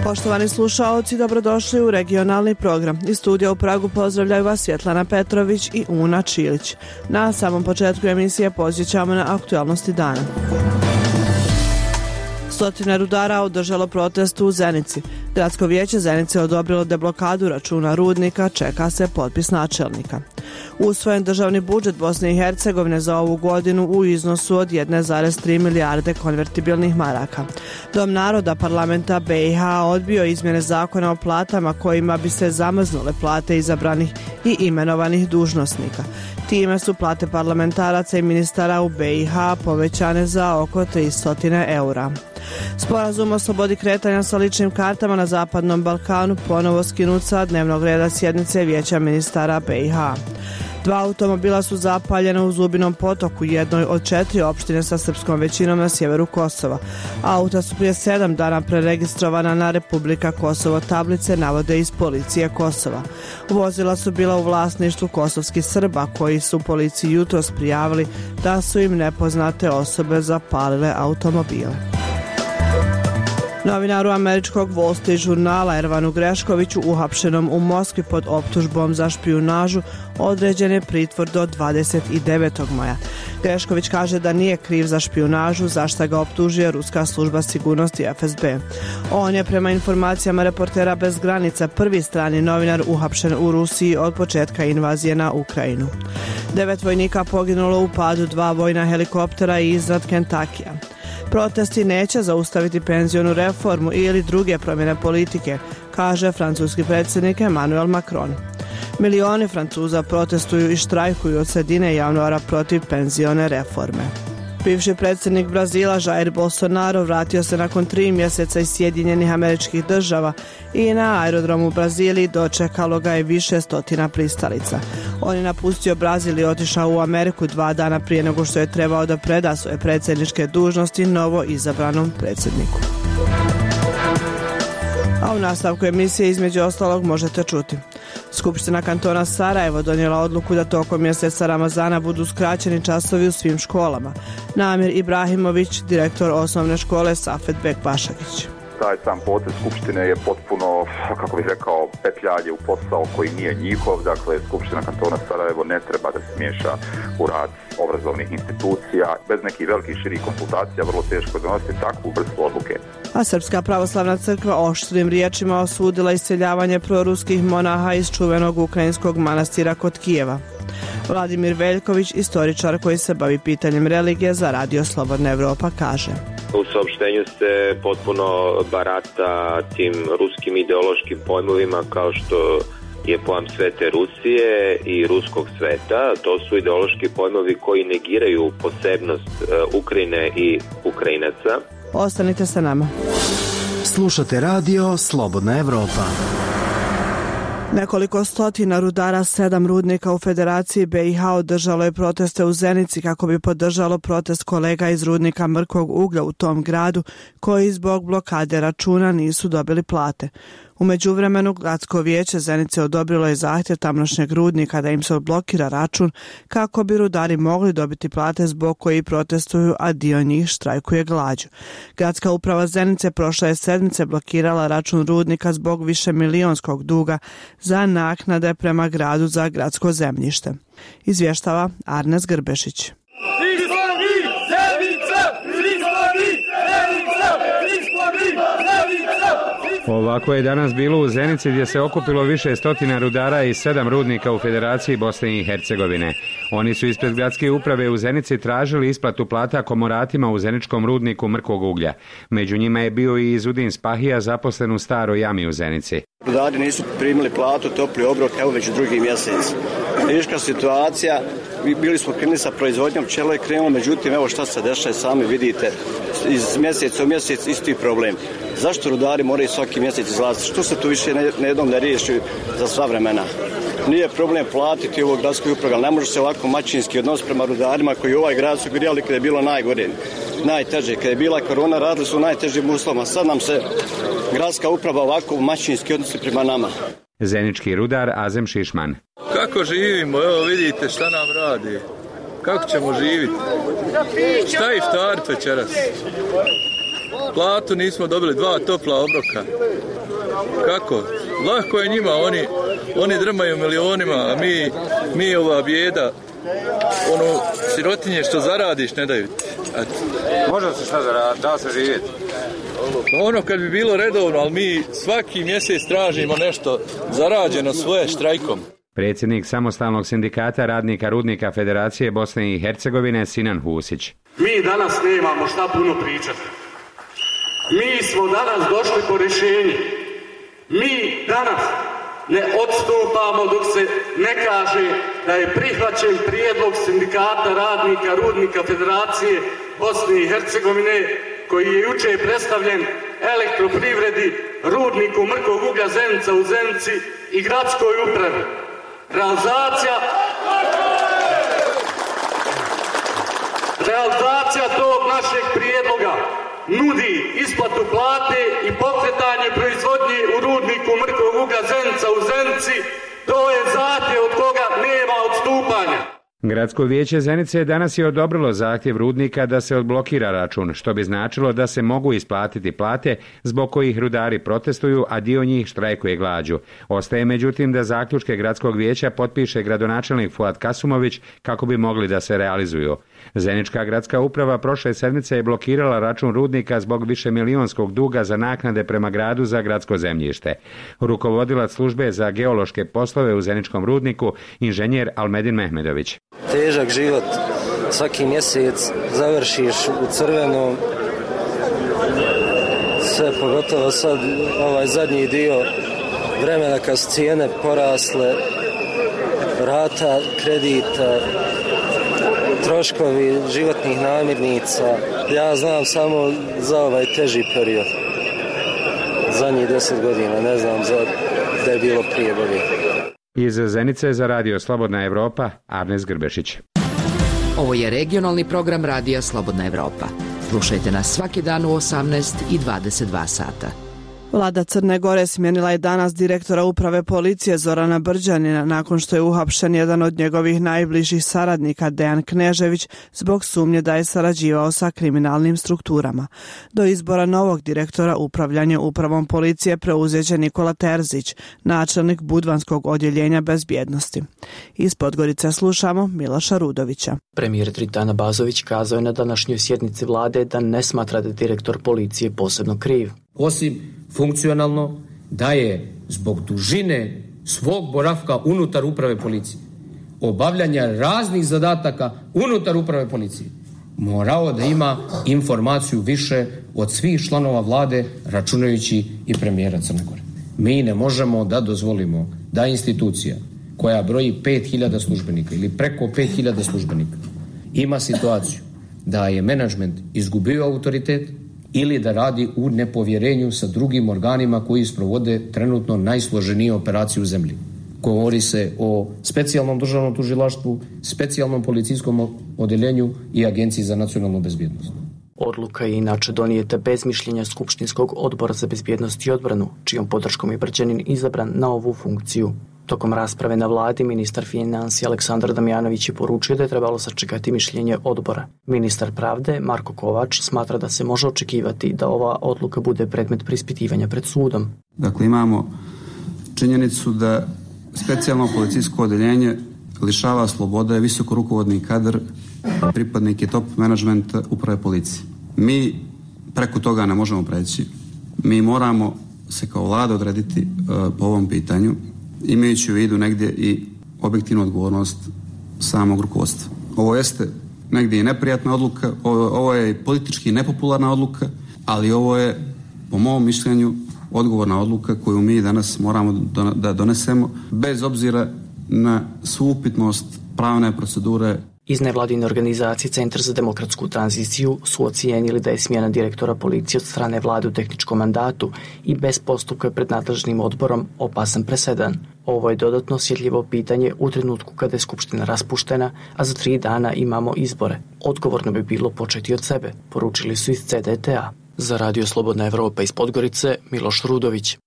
Poštovani slušaoci, dobrodošli u regionalni program. Iz studija u Pragu pozdravljaju vas Svjetlana Petrović i Una Čilić. Na samom početku emisije podsjećamo na aktualnosti dana. Stotine rudara održalo protest u Zenici. Gradsko vijeće Zenice odobrilo deblokadu računa rudnika, čeka se potpis načelnika. Usvojen državni budžet Bosne i Hercegovine za ovu godinu u iznosu od 1,3 milijarde konvertibilnih maraka. Dom naroda parlamenta BiH odbio izmjene zakona o platama kojima bi se zamrznule plate izabranih i imenovanih dužnosnika. Time su plate parlamentaraca i ministara u BiH povećane za oko 300 eura. Sporazum o slobodi kretanja sa ličnim kartama na Zapadnom Balkanu ponovo skinut sa dnevnog reda sjednice Vijeća ministara BiH. 2 automobila su zapaljena u Zubinom potoku, jednoj od 4 opštine sa srpskom većinom na sjeveru Kosova. Auta su prije 7 dana preregistrovana na Republika Kosovo, tablice navode iz policije Kosova. Vozila su bila u vlasništvu kosovskih Srba koji su policiji jutros prijavili da su im nepoznate osobe zapalile automobile. Novinaru američkog Wall Street žurnala Ervanu Greškoviću, uhapšenom u Moskvi pod optužbom za špijunažu, određen je pritvor do 29. maja. Grešković kaže da nije kriv za špijunažu, za šta ga optužuje Ruska služba sigurnosti FSB. On je prema informacijama Reportera bez granica prvi strani novinar uhapšen u Rusiji od početka invazije na Ukrajinu. 9 vojnika poginulo u padu 2 vojna helikoptera iznad Kentakija. Protesti neće zaustaviti penzionu reformu ili druge promjene politike, kaže francuski predsjednik Emmanuel Macron. Milioni Francuza protestuju i štrajkuju od sredine januara protiv penzione reforme. Bivši predsjednik Brazila Jair Bolsonaro vratio se nakon 3 mjeseca iz Sjedinjenih Američkih Država i na aerodromu u Braziliji dočekalo ga je više stotina pristalica. On je napustio Brazil i otišao u Ameriku 2 dana prije nego što je trebao da preda svoje predsjedničke dužnosti novo izabranom predsjedniku. A u nastavku emisije između ostalog možete čuti. Skupština kantona Sarajevo donijela odluku da tokom mjeseca Ramazana budu skraćeni časovi u svim školama. Namir Ibrahimović, direktor osnovne škole Safet Bek Bašagić. Taj sam potez Skupštine je potpuno, kako bih rekao, petljanje u posao koji nije njihov. Dakle, Skupština kantona Sarajevo ne treba da se miješa u rad obrazovnih institucija. Bez nekih velikih širih konsultacija vrlo teško donositi takvu vrstu odluke. A Srpska pravoslavna crkva oštrim riječima osudila iseljavanje proruskih monaha iz čuvenog ukrajinskog manastira kod Kijeva. Vladimir Veljković, istoričar koji se bavi pitanjem religije za Radio Slobodna Evropa, kaže: U saopštenju se potpuno barata tim ruskim ideološkim pojmovima kao što je pojam Svete Rusije i ruskog sveta. To su ideološki pojmovi koji negiraju posebnost Ukrajine i Ukrajinaca. Ostanite sa nama. Slušate Radio Slobodna Evropa. Nekoliko stotina rudara 7 rudnika u Federaciji BiH održalo je proteste u Zenici kako bi podržalo protest kolega iz rudnika mrkog uglja u tom gradu koji zbog blokade računa nisu dobili plate. U međuvremenu Gradsko vijeće Zenice odobrilo je zahtjev tamošnjeg rudnika da im se odblokira račun kako bi rudari mogli dobiti plate zbog koji protestuju, a dio njih štrajkuje glađu. Gradska uprava Zenice prošle je sedmice blokirala račun rudnika zbog višemilijonskog duga za naknade prema gradu za gradsko zemljište. Izvještava Arnes Grbešić. Ovako je danas bilo u Zenici gdje se okupilo više stotina rudara i 7 rudnika u Federaciji Bosne i Hercegovine. Oni su ispred gradske uprave u Zenici tražili isplatu plata komoratima u zeničkom rudniku mrkog uglja. Među njima je bio i Izudin Spahija, zaposlen u staroj jami u Zenici. Rudari nisu primili platu, topli obrok, evo već drugi mjesec. Teška situacija, bili smo krenuli sa proizvodnjom, pčelo je krenulo, međutim evo šta se dešava, sami vidite, iz mjeseca u mjesec isti problem. Zašto rudari moraju svaki mjesec izlaziti? Što se tu više jednom ne riješi za sva vremena? Nije problem platiti ovog gradskoj upravi, ali ne može se ovako maćinski odnos prema rudarima koji ovaj grad su grijali kada je bilo najgore, najteže. Kada je bila korona, radili su u najtežim uslovima. Sad nam se gradska uprava ovako maćinski odnosi prema nama. Zenički rudar Azem Šišman. Kako živimo? Evo vidite šta nam radi. Kako ćemo živjeti? Šta iftarit večeras? Platu nismo dobili, 2 topla obroka. Kako? Lako je njima, oni drmaju milionima, a mi ova bijeda, sirotinje što zaradiš ne daju ti. Može se šta zaraditi, da se živjeti? Kad bi bilo redovno, ali mi svaki mjesec tražimo nešto zarađeno svoje štrajkom. Predsjednik samostalnog sindikata radnika rudnika Federacije Bosne i Hercegovine Sinan Husić. Mi danas nemamo šta puno pričati. Mi smo danas došli po rješenje. Mi danas ne odstupamo dok se ne kaže da je prihvaćen prijedlog sindikata radnika rudnika Federacije Bosne i Hercegovine koji je jučer predstavljen Elektroprivredi, rudniku mrkog uglja Zenica u Zenici i gradskoj upravi. Realizacija tog našeg prijedloga nudi isplatu plate i pokretanje proizvodnje u rudniku mrkog uglja Zenica u Zenici. To je zahtjev od koga nema odstupanja. Gradsko vijeće Zenice danas je odobrilo zahtjev rudnika da se odblokira račun, što bi značilo da se mogu isplatiti plate zbog kojih rudari protestuju, a dio njih štrajkuje glađu. Ostaje međutim da zaključke gradskog vijeća potpiše gradonačelnik Fuad Kasumović kako bi mogli da se realizuju. Zenička gradska uprava prošle sedmice je blokirala račun rudnika zbog višemilijonskog duga za naknade prema gradu za gradsko zemljište. Rukovodilac službe za geološke poslove u Zeničkom rudniku, inženjer Almedin Mehmedović. Težak život, svaki mjesec završiš u crvenom, sve pogotovo sad ovaj zadnji dio vremena kad su cijene porasle, rata kredita, troškovi životnih namirnica. Ja znam samo za ovaj teži period, zadnjih 10 godina, ne znam da je bilo prije bolje. Iz Zenice za Radio Slobodna Evropa, Arnes Grbešić. Ovo je regionalni program Radija Slobodna Evropa. Slušajte nas svaki dan u 18 i 22 sata. Vlada Crne Gore smijenila je danas direktora uprave policije Zorana Brđanina nakon što je uhapšen jedan od njegovih najbližih saradnika Dejan Knežević zbog sumnje da je sarađivao sa kriminalnim strukturama. Do izbora novog direktora upravljanje upravom policije preuzeće Nikola Terzić, načelnik Budvanskog odjeljenja bezbjednosti. Iz Podgorice slušamo Miloša Rudovića. Premijer Dritana Bazović kazao je na današnjoj sjednici vlade da ne smatra da je direktor policije posebno kriv. Osim funkcionalno da je zbog dužine svog boravka unutar uprave policije, obavljanja raznih zadataka unutar uprave policije, morao da ima informaciju više od svih članova vlade, računajući i premijera Crne Gore. Mi ne možemo da dozvolimo da institucija koja broji 5000 službenika ili preko 5000 službenika ima situaciju da je menadžment izgubio autoritet ili da radi u nepovjerenju sa drugim organima koji sprovode trenutno najsloženije operacije u zemlji. Govori se o specijalnom državnom tužilaštvu, specijalnom policijskom odeljenju i Agenciji za nacionalnu bezbjednost. Odluka je inače donijeta bez mišljenja Skupštinskog odbora za bezbjednost i odbranu, čijom podrškom je Brđanin izabran na ovu funkciju. Tokom rasprave na vladi, ministar financija Aleksandar Damjanović je poručio da je trebalo sačekati mišljenje odbora. Ministar pravde Marko Kovač smatra da se može očekivati da ova odluka bude predmet preispitivanja pred sudom. Dakle, imamo činjenicu da specijalno policijsko odeljenje lišava slobode visoko rukovodni kadar, pripadnike top menadžmenta uprave policije. Mi preko toga ne možemo preći. Mi moramo se kao vlada odrediti po ovom pitanju, imajući u vidu negdje i objektivnu odgovornost samog rukovodstva. Ovo jeste negdje i neprijatna odluka, ovo je politički nepopularna odluka, ali ovo je, po mom mišljenju, odgovorna odluka koju mi danas moramo da donesemo, bez obzira na svu upitnost pravne procedure. Iz nevladine organizacije Centar za demokratsku tranziciju su ocijenili da je smjena direktora policije od strane vlade u tehničkom mandatu i bez postupka pred nadležnim odborom opasan presedan. Ovo je dodatno osjetljivo pitanje u trenutku kada je Skupština raspuštena, a za 3 dana imamo izbore. Odgovorno bi bilo početi od sebe, poručili su iz CDTA. Za Radio Slobodna Evropa iz Podgorice, Miloš Rudović.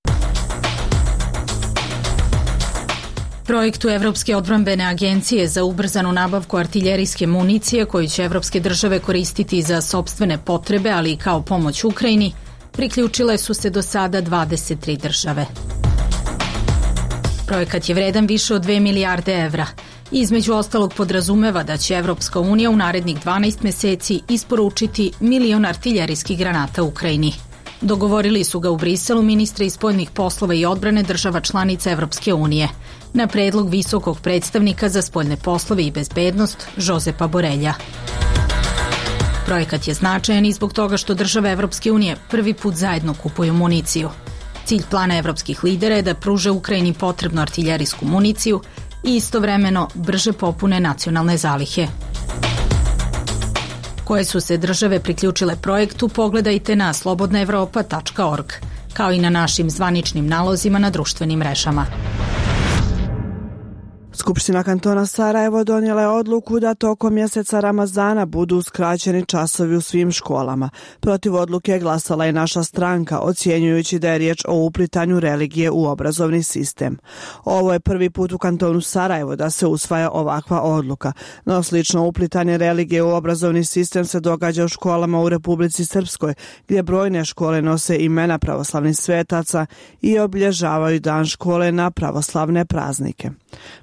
Projektu Evropske odbrambene agencije za ubrzanu nabavku artiljerijske municije koju će evropske države koristiti za sopstvene potrebe, ali i kao pomoć Ukrajini, priključile su se do sada 23 države. Projekat je vredan više od 2 milijarde evra. Između ostalog podrazumeva da će Evropska unija u narednih 12 meseci isporučiti 1 milion artiljerijskih granata Ukrajini. Dogovorili su ga u Briselu ministri spoljnih poslova i odbrane država članica Evropske unije, na predlog visokog predstavnika za spoljne poslove i bezbednost Josepa Borelja. Projekat je značajan i zbog toga što države Evropske unije prvi put zajedno kupuju municiju. Cilj plana evropskih lidera je da pruže Ukrajini potrebnu artiljerijsku municiju i istovremeno brže popune nacionalne zalihe. Koje su se države priključile projektu, pogledajte na slobodnaevropa.org, kao i na našim zvaničnim nalozima na društvenim mrežama. Skupština kantona Sarajevo donijela je odluku da tokom mjeseca Ramazana budu uskraćeni časovi u svim školama. Protiv odluke je glasala i naša stranka, ocjenjujući da je riječ o uplitanju religije u obrazovni sistem. Ovo je prvi put u kantonu Sarajevo da se usvaja ovakva odluka, no slično uplitanje religije u obrazovni sistem se događa u školama u Republici Srpskoj, gdje brojne škole nose imena pravoslavnih svetaca i obilježavaju dan škole na pravoslavne praznike.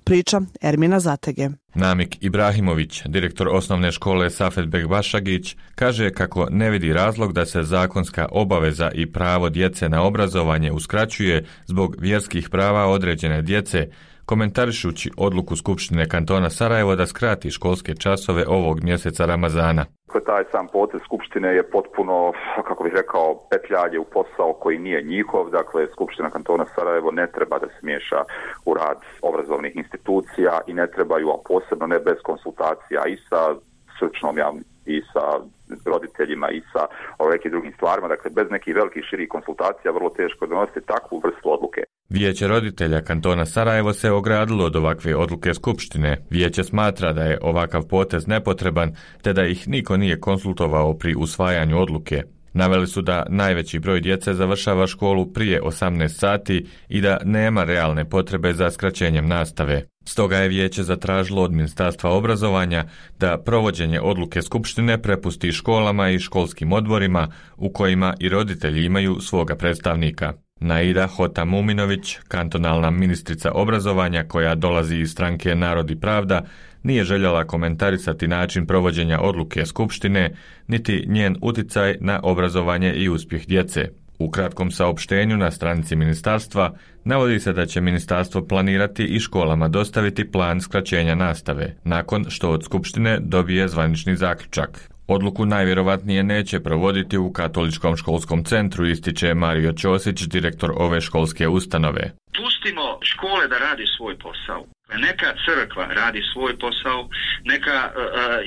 Priča Ermina Zatege. Namik Ibrahimović, direktor osnovne škole Safetbek Bašagić, kaže kako ne vidi razlog da se zakonska obaveza i pravo djece na obrazovanje uskraćuje zbog vjerskih prava određene djece, komentarišući odluku Skupštine kantona Sarajevo da skrati školske časove ovog mjeseca Ramazana. Taj sam potez Skupštine je potpuno, kako bih rekao, petljanje u posao koji nije njihov. Dakle, Skupština kantona Sarajevo ne treba da se miješa u rad obrazovnih institucija i ne trebaju, a posebno ne bez konsultacija i sa stručnom javnosti i sa roditeljima i sa nekim drugim stvarima. Dakle, bez nekih velikih širih konsultacija vrlo teško donositi takvu vrstu odluke. Vijeće roditelja kantona Sarajevo se ogradilo od ovakve odluke Skupštine. Vijeće smatra da je ovakav potez nepotreban, te da ih niko nije konsultovao pri usvajanju odluke. Naveli su da najveći broj djece završava školu prije 18 sati i da nema realne potrebe za skraćenjem nastave. Stoga je vijeće zatražilo od Ministarstva obrazovanja da provođenje odluke Skupštine prepusti školama i školskim odborima u kojima i roditelji imaju svoga predstavnika. Naida Hotamuminović, kantonalna ministrica obrazovanja koja dolazi iz stranke Narod i pravda, nije željela komentarisati način provođenja odluke Skupštine, niti njen uticaj na obrazovanje i uspjeh djece. U kratkom saopštenju na stranici ministarstva navodi se da će ministarstvo planirati i školama dostaviti plan skraćenja nastave, nakon što od Skupštine dobije zvanični zaključak. Odluku najvjerovatnije neće provoditi u Katoličkom školskom centru, ističe Mario Ćosić, direktor ove školske ustanove. Pustimo škole da radi svoj posao. Neka crkva radi svoj posao, neka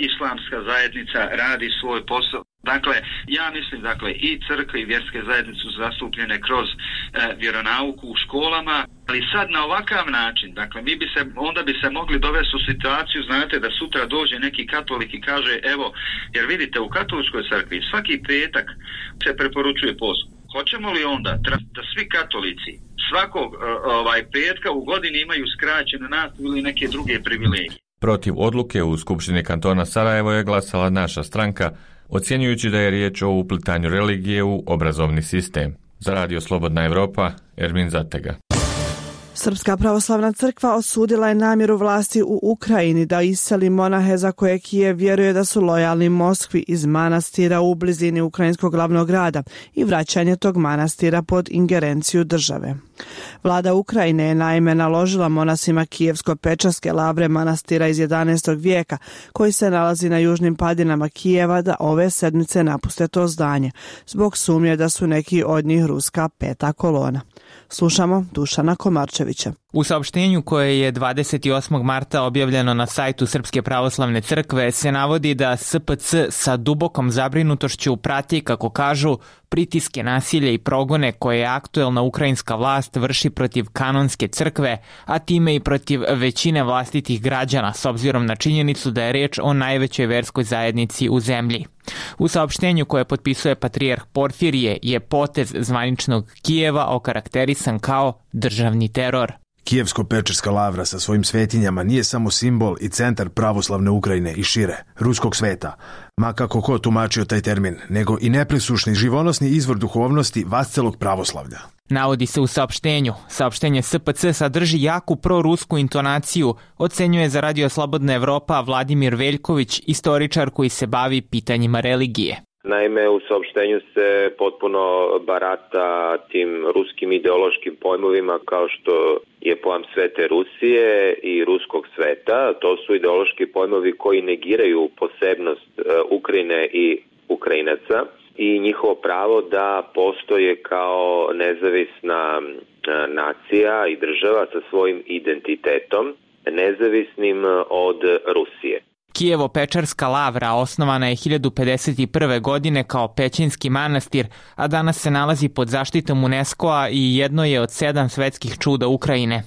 islamska zajednica radi svoj posao. Dakle, ja mislim, i crkve i vjerske zajednice su zastupljene kroz vjeronauku u školama, ali sad na ovakav način, onda bi se mogli dovesti u situaciju, znate, da sutra dođe neki katolik i kaže, evo, jer vidite, u katoličkoj crkvi svaki petak se preporučuje post. Hoćemo li onda da svi katolici svakog petka u godini imaju skraćenu nastavu ili neke druge privilegije? Protiv odluke u Skupštini kantona Sarajevo je glasala naša stranka, ocjenjujući da je riječ o uplitanju religije u obrazovni sistem. Za Radio Slobodna Evropa, Ermin Zatega. Srpska pravoslavna crkva osudila je namjeru vlasti u Ukrajini da iseli monahe za koje Kijev vjeruje da su lojalni Moskvi iz manastira u blizini ukrajinskog glavnog grada i vraćanje tog manastira pod ingerenciju države. Vlada Ukrajine je naime naložila monasima Kijevsko-Pečarske lavre manastira iz 11. vijeka, koji se nalazi na južnim padinama Kijeva, da ove sedmice napuste to zdanje, zbog sumnje da su neki od njih ruska peta kolona. Slušamo Dušana Komarčevića. U saopštenju koje je 28. marta objavljeno na sajtu Srpske pravoslavne crkve se navodi da SPC sa dubokom zabrinutošću prati, kako kažu, pritiske, nasilje i progone koje je aktuelna ukrajinska vlast vrši protiv kanonske crkve, a time i protiv većine vlastitih građana, s obzirom na činjenicu da je reč o najvećoj verskoj zajednici u zemlji. U saopštenju koje potpisuje patrijarh Porfirije je potez zvaničnog Kijeva okarakterisan kao državni teror. Kijevsko-Pečerska lavra sa svojim svetinjama nije samo simbol i centar pravoslavne Ukrajine i šire, ruskog sveta, ma kako ko tumačio taj termin, nego i nepresušni živonosni izvor duhovnosti vascelog pravoslavlja. Navodi se u saopštenju. Saopštenje SPC sadrži jaku prorusku intonaciju, ocenjuje za Radio Slobodna Evropa Vladimir Veljković, istoričar koji se bavi pitanjima religije. Naime, u saopštenju se potpuno barata tim ruskim ideološkim pojmovima kao što je pojam Svete Rusije i ruskog sveta. To su ideološki pojmovi koji negiraju posebnost Ukrajine i Ukrajinaca i njihovo pravo da postoje kao nezavisna nacija i država sa svojim identitetom, nezavisnim od Rusije. Kijevo-Pečerska lavra osnovana je 1051. godine kao pećinski manastir, a danas se nalazi pod zaštitom UNESCO-a i jedno je od 7 svetskih čuda Ukrajine.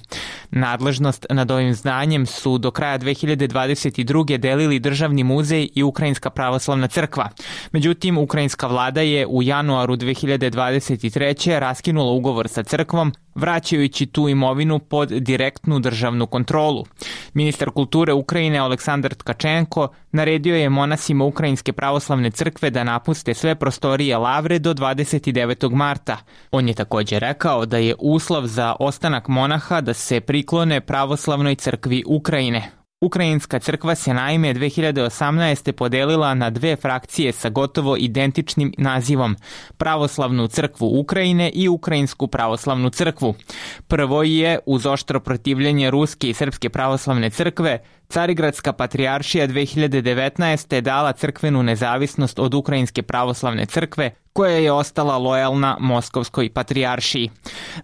Nadležnost nad ovim zdanjem su do kraja 2022. delili Državni muzej i Ukrajinska pravoslavna crkva. Međutim, ukrajinska vlada je u januaru 2023. raskinula ugovor sa crkvom, vraćajući tu imovinu pod direktnu državnu kontrolu. Ministar kulture Ukrajine Aleksandar Tkačenko naredio je monasima Ukrajinske pravoslavne crkve da napuste sve prostorije lavre do 29. marta. On je također rekao da je uslov za ostanak monaha da se priklone pravoslavnoj crkvi Ukrajine. Ukrajinska crkva se naime 2018. podelila na 2 frakcije sa gotovo identičnim nazivom, Pravoslavnu crkvu Ukrajine i Ukrajinsku pravoslavnu crkvu. Prvo je, uz oštro protivljenje Ruske i Srpske pravoslavne crkve, Carigradska patrijaršija 2019. dala crkvenu nezavisnost od Ukrajinske pravoslavne crkve, koja je ostala lojalna Moskovskoj patrijaršiji.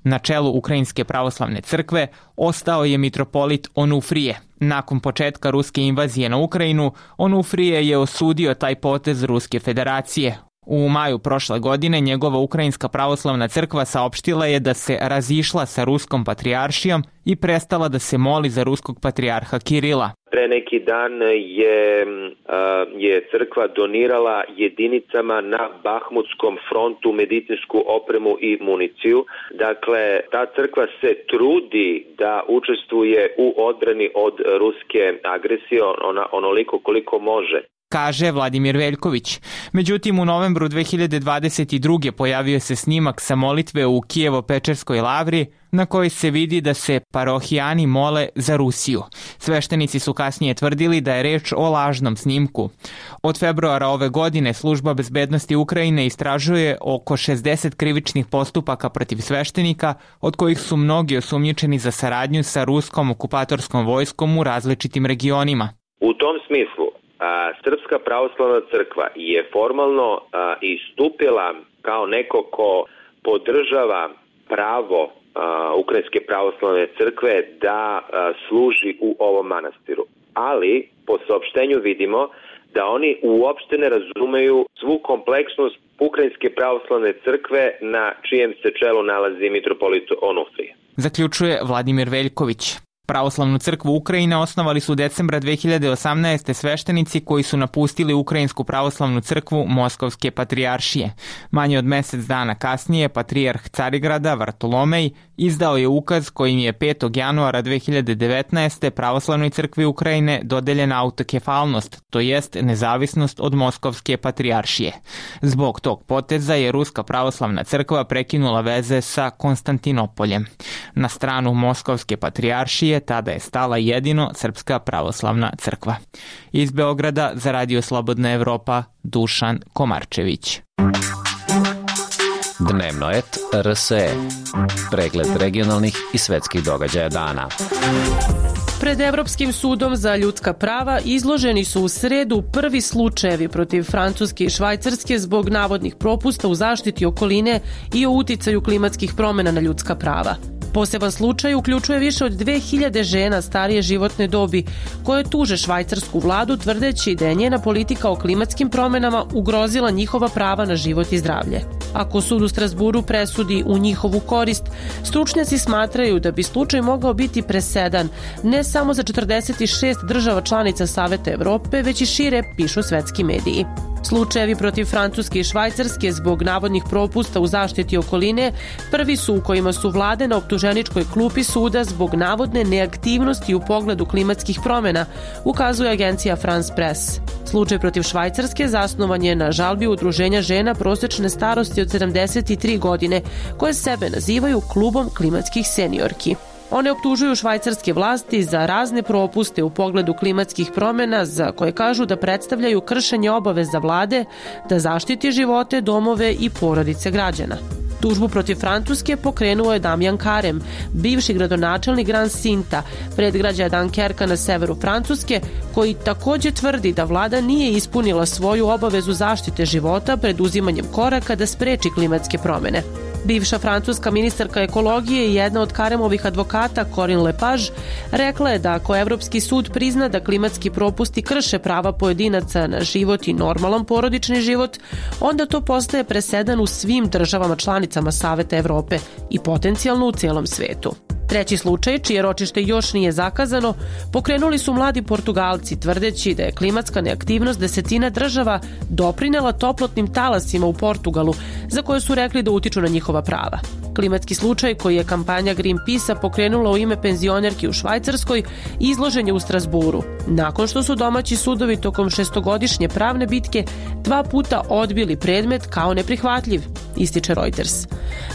Na čelu Ukrajinske pravoslavne crkve ostao je mitropolit Onufrije. Nakon početka ruske invazije na Ukrajinu, Onufrije je osudio taj potez Ruske federacije. U maju prošle godine njegova Ukrajinska pravoslavna crkva saopštila je da se razišla sa Ruskom patrijaršijom i prestala da se moli za ruskog patrijarha Kirila. Pre neki dan je crkva donirala jedinicama na Bahmutskom frontu medicinsku opremu i municiju. Dakle, ta crkva se trudi da učestvuje u odbrani od ruske agresije onoliko koliko može, kaže Vladimir Veljković. Međutim, u novembru 2022. pojavio se snimak sa molitve u Kijevo-Pečerskoj lavri na kojoj se vidi da se parohijani mole za Rusiju. Sveštenici su kasnije tvrdili da je reč o lažnom snimku. Od februara ove godine Služba bezbednosti Ukrajine istražuje oko 60 krivičnih postupaka protiv sveštenika, od kojih su mnogi osumnjičeni za saradnju sa ruskom okupatorskom vojskom u različitim regionima. U tom smislu, Srpska pravoslavna crkva je formalno istupila kao neko ko podržava pravo Ukrajinske pravoslavne crkve da služi u ovom manastiru. Ali po saopštenju vidimo da oni uopšte ne razumeju svu kompleksnost Ukrajinske pravoslavne crkve na čijem se čelu nalazi mitropolit Onufrije. Zaključuje Vladimir Veljković. Pravoslavnu crkvu Ukrajine osnovali su decembra 2018. sveštenici koji su napustili Ukrajinsku pravoslavnu crkvu Moskovske patrijaršije. Manje od mjesec dana kasnije patrijarh Carigrada Vartolomej izdao je ukaz kojim je 5. januara 2019. pravoslavnoj crkvi Ukrajine dodeljena autokefalnost, to jest nezavisnost od Moskovske patrijaršije. Zbog tog poteza je Ruska pravoslavna crkva prekinula veze sa Konstantinopoljem. Na stranu Moskovske patrijaršije tada je stala jedino Srpska pravoslavna crkva. Iz Beograda za Radio Slobodna Evropa, Dušan Komarčević. Dnevno et RSE. Pregled regionalnih i svetskih događaja dana. Pred Evropskim sudom za ljudska prava izloženi su u sredu prvi slučajevi protiv Francuske i Švajcarske zbog navodnih propusta u zaštiti okoline i o uticaju klimatskih promjena na ljudska prava. Poseban slučaj uključuje više od 2000 žena starije životne dobi koje tuže švajcarsku vladu tvrdeći da je njena politika o klimatskim promjenama ugrozila njihova prava na život i zdravlje. Ako sud u Strasburu presudi u njihovu korist, stručnjaci smatraju da bi slučaj mogao biti presedan ne samo za 46 država članica Saveta Evrope, već i šire, pišu svetski mediji. Slučajevi protiv Francuske i Švajcarske zbog navodnih propusta u zaštiti okoline prvi su u kojima su vlade na optuženičkoj klupi suda zbog navodne neaktivnosti u pogledu klimatskih promjena, ukazuje agencija France Press. Slučaj protiv Švajcarske zasnovan je na žalbi udruženja žena prosječne starosti od 73 godine, koje sebe nazivaju klubom klimatskih seniorki. One optužuju švajcarske vlasti za razne propuste u pogledu klimatskih promjena za koje kažu da predstavljaju kršenje obaveza vlade da zaštiti živote, domove i porodice građana. Tužbu protiv Francuske pokrenuo je Damjan Karem, bivši gradonačelnik Grand Sinta, predgrađa Dunkerka na severu Francuske, koji također tvrdi da vlada nije ispunila svoju obavezu zaštite života pred uzimanjem koraka da spreči klimatske promjene. Bivša francuska ministarka ekologije i jedna od Karemovih advokata, Corinne Lepage, rekla je da ako Evropski sud prizna da klimatski propusti krše prava pojedinaca na život i normalan porodični život, onda to postaje presedan u svim državama članicama Saveta Evrope i potencijalno u cijelom svetu. Treći slučaj, čije ročište još nije zakazano, pokrenuli su mladi Portugalci tvrdeći da je klimatska neaktivnost desetina država doprinela toplotnim talasima u Portugalu, za koje su rekli da utiču na njihova prava. Klimatski slučaj, koji je kampanja Greenpeace-a pokrenula u ime penzionerki u Švajcarskoj, izložen je u Strasburu, nakon što su domaći sudovi tokom 6-godišnje pravne bitke 2 puta odbili predmet kao neprihvatljiv, ističe Reuters.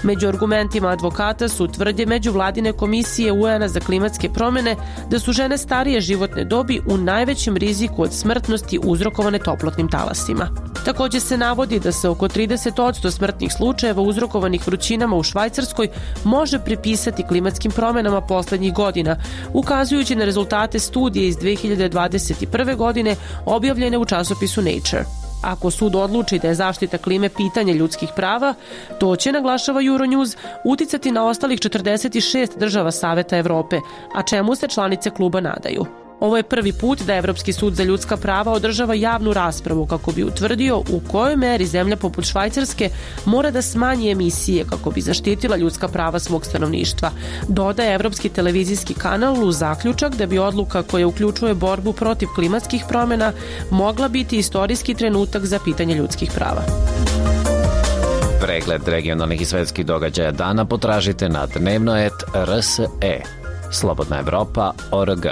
Među argumentima advokata su tvrdnje međuvladine komisije UN-a za klimatske promjene da su žene starije životne dobi u najvećem riziku od smrtnosti uzrokovane toplotnim talasima. Također se navodi da se oko 30% smrtnih slučajeva uzrokovanih vrućinama u Švajcarskoj može pripisati klimatskim promjenama posljednjih godina, ukazujući na rezultate studije iz 2021. godine objavljene u časopisu Nature. Ako sud odluči da je zaštita klime pitanje ljudskih prava, to će, naglašava Euronews, uticati na ostalih 46 država Saveta Evrope, a čemu se članice kluba nadaju. Ovo je prvi put da Evropski sud za ljudska prava održava javnu raspravu kako bi utvrdio u kojoj meri zemlja poput Švajcarske mora da smanji emisije kako bi zaštitila ljudska prava svog stanovništva. Dodaje Evropski televizijski kanal u zaključak da bi odluka koja uključuje borbu protiv klimatskih promjena mogla biti istorijski trenutak za pitanje ljudskih prava. Pregled regionalnih i svetskih događaja dana potražite na dnevnoet.rse. Slobodna Evropa.org.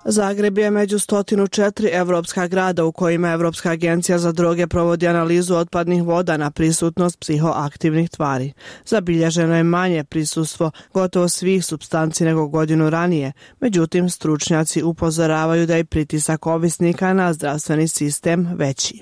Zagreb je među 104 evropska grada u kojima Evropska agencija za droge provodi analizu otpadnih voda na prisutnost psihoaktivnih tvari. Zabilježeno je manje prisustvo gotovo svih supstanci nego godinu ranije, međutim stručnjaci upozoravaju da je pritisak ovisnika na zdravstveni sistem veći.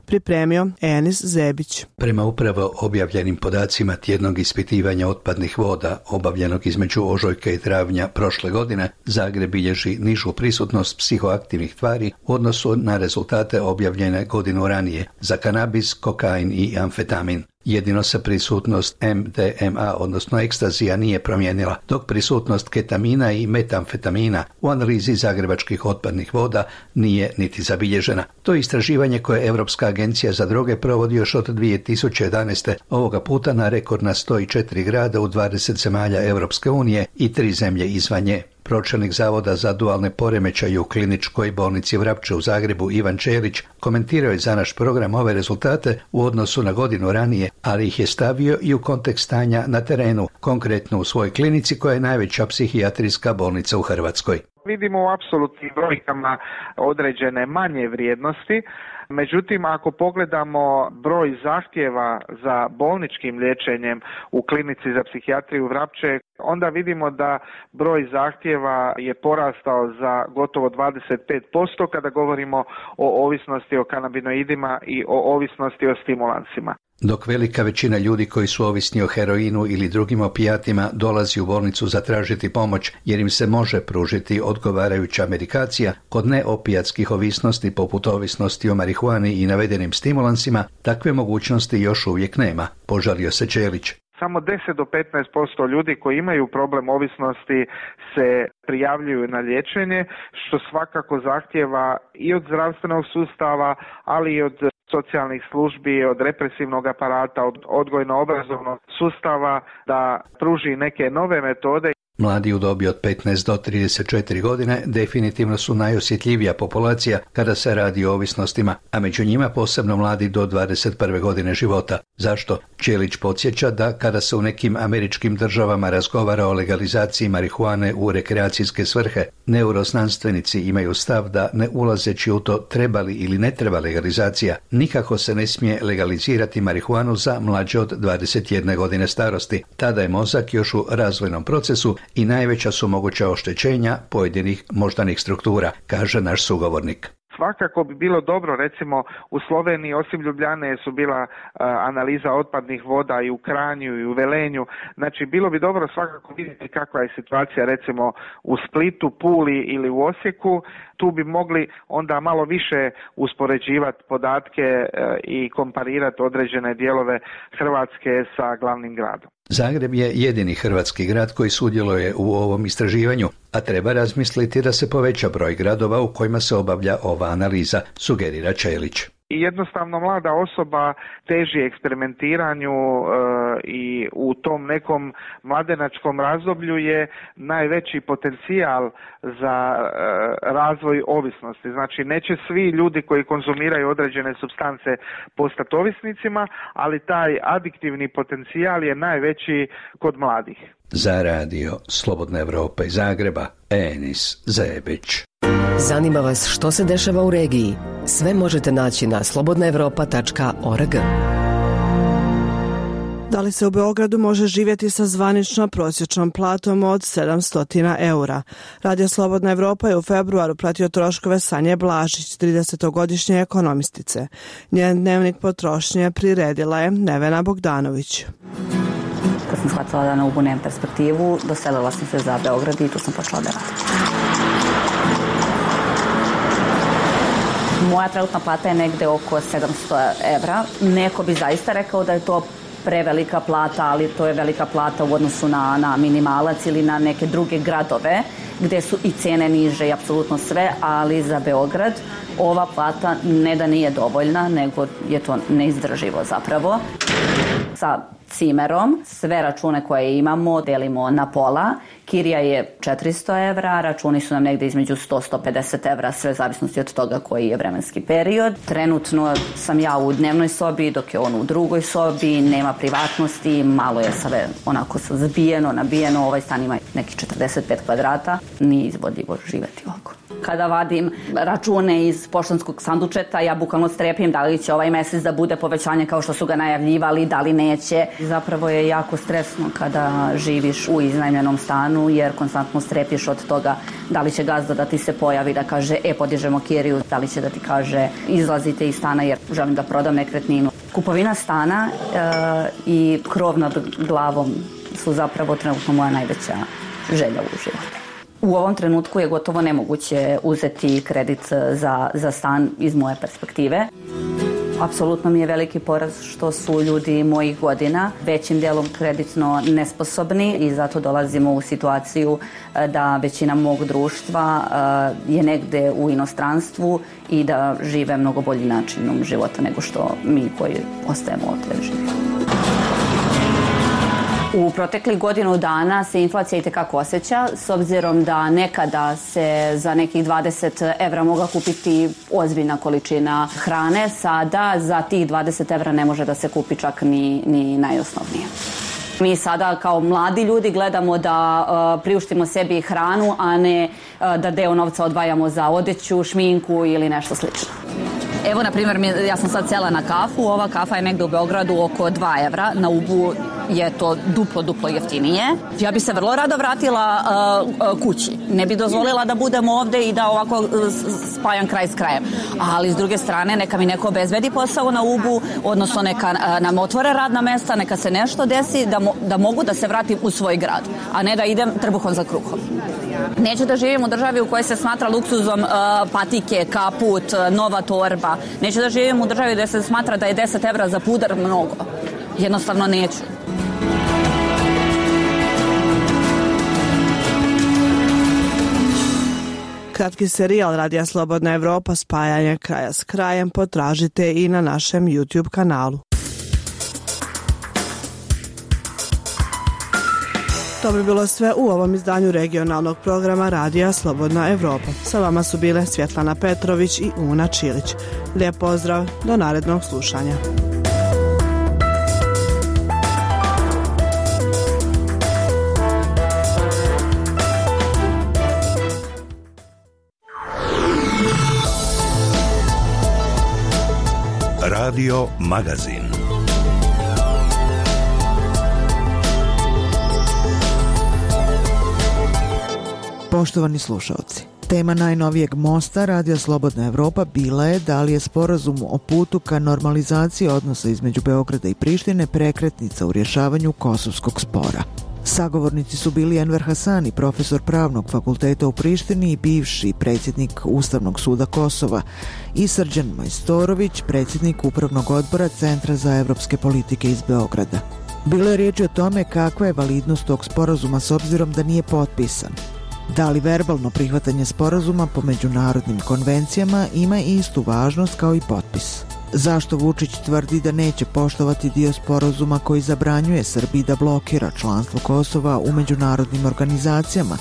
Pripremio Enis Zebić. Prema upravo objavljenim podacima tjednog ispitivanja otpadnih voda obavljenog između ožujka i travnja prošle godine, Zagreb bilježi nižu prisutnost psihoaktivnih tvari u odnosu na rezultate objavljene godinu ranije za kanabis, kokain i amfetamin. Jedino se prisutnost MDMA, odnosno ekstazija, nije promijenila, dok prisutnost ketamina i metamfetamina u analizi zagrebačkih otpadnih voda nije niti zabilježena. To je istraživanje koje Europska agencija za droge provodi još od 2011. ovoga puta na rekordna 104 grada u 20 zemalja Europske unije i 3 zemlje izvan nje. Pročelnik Zavoda za dualne poremećaje u kliničkoj bolnici Vrapče u Zagrebu Ivan Čelić komentirao je za naš program ove rezultate u odnosu na godinu ranije, ali ih je stavio i u kontekst stanja na terenu, konkretno u svojoj klinici koja je najveća psihijatrijska bolnica u Hrvatskoj. Vidimo u apsolutnim brojkama određene manje vrijednosti. Međutim, ako pogledamo broj zahtjeva za bolničkim liječenjem u klinici za psihijatriju Vrapče, onda vidimo da broj zahtjeva je porastao za gotovo 25% kada govorimo o ovisnosti o kanabinoidima i o ovisnosti o stimulansima. Dok velika većina ljudi koji su ovisni o heroinu ili drugim opijatima dolazi u bolnicu zatražiti pomoć jer im se može pružiti odgovarajuća medikacija, kod neopijatskih ovisnosti poput ovisnosti o marihuani i navedenim stimulansima takve mogućnosti još uvijek nema, požalio se Čelić. Samo 10 do 15% ljudi koji imaju problem ovisnosti se prijavljuju na liječenje, što svakako zahtjeva i od zdravstvenog sustava, ali i od socijalnih službi, od represivnog aparata, od odgojno-obrazovnog sustava da pruži neke nove metode. Mladi u dobi od 15 do 34 godine definitivno su najosjetljivija populacija kada se radi o ovisnostima, a među njima posebno mladi do 21. godine života. Zašto? Ćelić podsjeća da kada se u nekim američkim državama razgovara o legalizaciji marihuane u rekreacijske svrhe, neuroznanstvenici imaju stav da ne ulazeći u to treba li ili ne treba legalizacija, nikako se ne smije legalizirati marihuanu za mlađe od 21 godine starosti. Tada je mozak još u razvojnom procesu i najveća su moguća oštećenja pojedinih moždanih struktura, kaže naš sugovornik. Svakako bi bilo dobro, recimo u Sloveniji osim Ljubljane su bila analiza otpadnih voda i u Kranju i u Velenju, znači bilo bi dobro svakako vidjeti kakva je situacija recimo u Splitu, Puli ili u Osijeku, tu bi mogli onda malo više uspoređivati podatke i komparirati određene dijelove Hrvatske sa glavnim gradom. Zagreb je jedini hrvatski grad koji sudjeluje u ovom istraživanju, a treba razmisliti da se poveća broj gradova u kojima se obavlja ova analiza, sugerira Ćelić. I jednostavno mlada osoba teži eksperimentiranju i u tom nekom mladenačkom razdoblju je najveći potencijal za razvoj ovisnosti. Znači neće svi ljudi koji konzumiraju određene supstance postati ovisnicima, ali taj adiktivni potencijal je najveći kod mladih. Za radio Slobodna Evropa iz Zagreba, Enis Zebić. Zanima vas što se dešava u regiji? Sve možete naći na slobodnaevropa.org. Da li se u Beogradu može živjeti sa zvanično prosječnom platom od 700 eura? Radio Slobodna Evropa je u februaru pratio troškove Sanje Blažić, 30-godišnje ekonomistice. Njen dnevnik potrošnje priredila je Nevena Bogdanović. Kad sam shvatila da na Ubu nemam perspektivu, doselila sam se za Beograd i tu sam počela da radim. Moja trenutna plata je negde oko 700 evra. Neko bi zaista rekao da je to prevelika plata, ali to je velika plata u odnosu na minimalac ili na neke druge gradove gde su i cene niže i apsolutno sve, ali za Beograd ova plata ne da nije dovoljna, nego je to neizdrživo zapravo. Sa cimerom sve račune koje imamo delimo na pola. Kirija je 400 evra, računi su nam negde između 100-150 evra, sve zavisnosti od toga koji je vremenski period. Trenutno sam ja u dnevnoj sobi, dok je on u drugoj sobi, nema privatnosti, malo je sve onako zbijeno, nabijeno, ovaj stan ima neki 45 kvadrata, nije izvodljivo živeti ovako. Kada vadim račune iz poštanskog sandučeta, ja bukvalno strepim da li će ovaj mesec da bude povećanje kao što su ga najavljivali, da li neće. Zapravo je jako stresno kada živiš u iznajmljenom stanu, jer konstantno strepiš od toga da li će gazda da ti se pojavi da kaže podižemo kiriju, da li će da ti kaže izlazite iz stana jer želim da prodam nekretninu. Kupovina stana i krov nad glavom su zapravo trenutno moja najveća želja u životu. U ovom trenutku je gotovo nemoguće uzeti kredit za stan iz moje perspektive. Apsolutno mi je veliki poraz što su ljudi mojih godina većim delom kreditno nesposobni i zato dolazimo u situaciju da većina mog društva je negde u inostranstvu i da žive mnogo bolji načinom života nego što mi koji ostajemo ovdje živimo. U proteklih godinu dana se inflacija itekako osjeća, s obzirom da nekada se za nekih 20 evra mogla kupiti ozbiljna količina hrane, sada za tih 20 evra ne može da se kupi čak ni najosnovnije. Mi sada kao mladi ljudi gledamo da priuštimo sebi hranu, a ne da deo novca odvajamo za odeću, šminku ili nešto slično. Evo, na primjer, ja sam sad sela na kafu, ova kafa je negde u Beogradu oko 2 evra, na Ubu je to duplo jeftinije. Ja bi se vrlo rado vratila kući, ne bi dozvolila da budem ovde i da ovako spajam kraj s krajem. Ali s druge strane, neka mi neko obezbedi posao na Ubu, odnosno neka nam otvore radna mesta, neka se nešto desi da mogu da se vratim u svoj grad, a ne da idem trbuhom za kruhom. Neću da živim u državi u kojoj se smatra luksuzom patike, kaput, nova torba. Neću da živim u državi gde se smatra da je 10 evra za pudar mnogo. Jednostavno neću. Kratki serijal Radija Slobodna Evropa spajanje kraja s krajem potražite i na našem YouTube kanalu. To bi bilo sve u ovom izdanju regionalnog programa Radija Slobodna Evropa. Sa vama su bile Svjetlana Petrović i Una Čilić. Lijep pozdrav, do narednog slušanja. Radio Magazin. Poštovani slušalci, tema najnovijeg mosta Radija Slobodna Evropa bila je da li je sporazum o putu ka normalizaciji odnosa između Beograda i Prištine prekretnica u rješavanju kosovskog spora. Sagovornici su bili Enver Hasani, profesor Pravnog fakulteta u Prištini i bivši predsjednik Ustavnog suda Kosova, i Srđan Majstorović, predsjednik Upravnog odbora Centra za evropske politike iz Beograda. Bilo je riječi o tome kakva je validnost tog sporazuma s obzirom da nije potpisan. Da li verbalno prihvatanje sporazuma po međunarodnim konvencijama ima istu važnost kao i potpis? Zašto Vučić tvrdi da neće poštovati dio sporazuma koji zabranjuje Srbiji da blokira članstvo Kosova u međunarodnim organizacijama,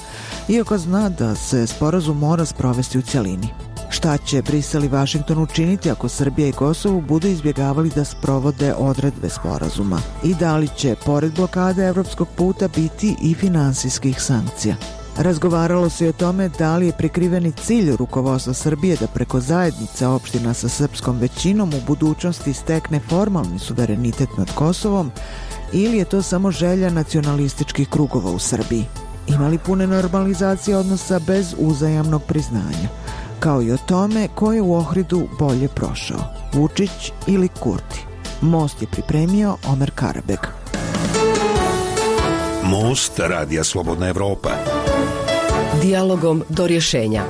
iako zna da se sporazum mora sprovesti u cjelini? Šta će Brisel i Vašington učiniti ako Srbija i Kosovo budu izbjegavali da sprovode odredbe sporazuma? I da li će, pored blokade evropskog puta, biti i finansijskih sankcija? Razgovaralo se i o tome da li je prikriveni cilj rukovodstva Srbije da preko zajednice opština sa srpskom većinom u budućnosti stekne formalni suverenitet nad Kosovom, ili je to samo želja nacionalističkih krugova u Srbiji. Ima li pune normalizacije odnosa bez uzajamnog priznanja? Kao i o tome ko je u Ohridu bolje prošao, Vučić ili Kurti. Most je pripremio Omer Karabeg. Most Radija Slobodna Evropa. Dijalogom do rješenja.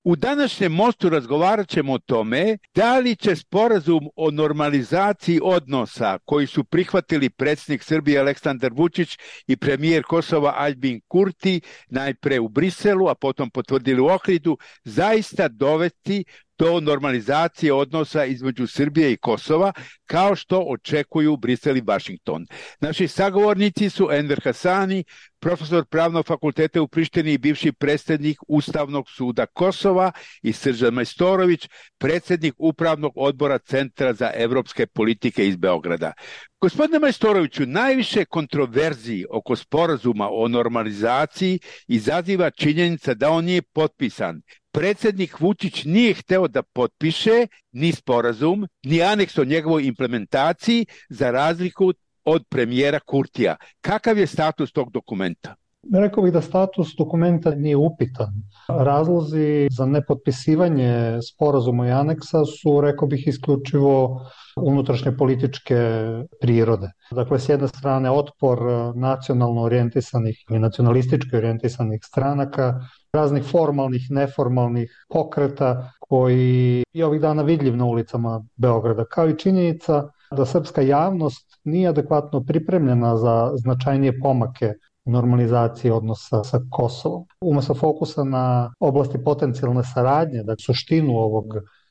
U današnjem mostu razgovarat ćemo o tome da li će sporazum o normalizaciji odnosa koji su prihvatili predsjednik Srbije Aleksandar Vučić i premijer Kosova Aljbin Kurti najpre u Briselu, a potom potvrdili u Ohridu, zaista dovesti do normalizacije odnosa između Srbije i Kosova, kao što očekuju Brisel i Vašington. Naši sagovornici su Enver Hasani, profesor Pravnog fakulteta u Prištini i bivši predsjednik Ustavnog suda Kosova, i Srđan Majstorović, predsjednik Upravnog odbora Centra za evropske politike iz Beograda. Gospodine Majstoroviću, najviše kontroverziji oko sporazuma o normalizaciji izaziva činjenica da on nije potpisan. Predsjednik Vučić nije hteo da potpiše ni sporazum, ni aneks o njegovoj implementaciji, za razliku od premijera Kurtija. Kakav je status tog dokumenta? Rekao bih da status dokumenta nije upitan. Razlozi za nepotpisivanje sporazuma i aneksa su, rekao bih, isključivo unutrašnje političke prirode. Dakle, s jedne strane otpor nacionalno orijentisanih ili nacionalistički orijentisanih stranaka, raznih formalnih, neformalnih pokreta koji je ovih dana vidljiv na ulicama Beograda, kao i činjenica da srpska javnost nije adekvatno pripremljena za značajnije pomake normalizacije odnosa sa Kosovom. Umesto fokusa na oblasti potencijalne saradnje, dakle suštinu ovog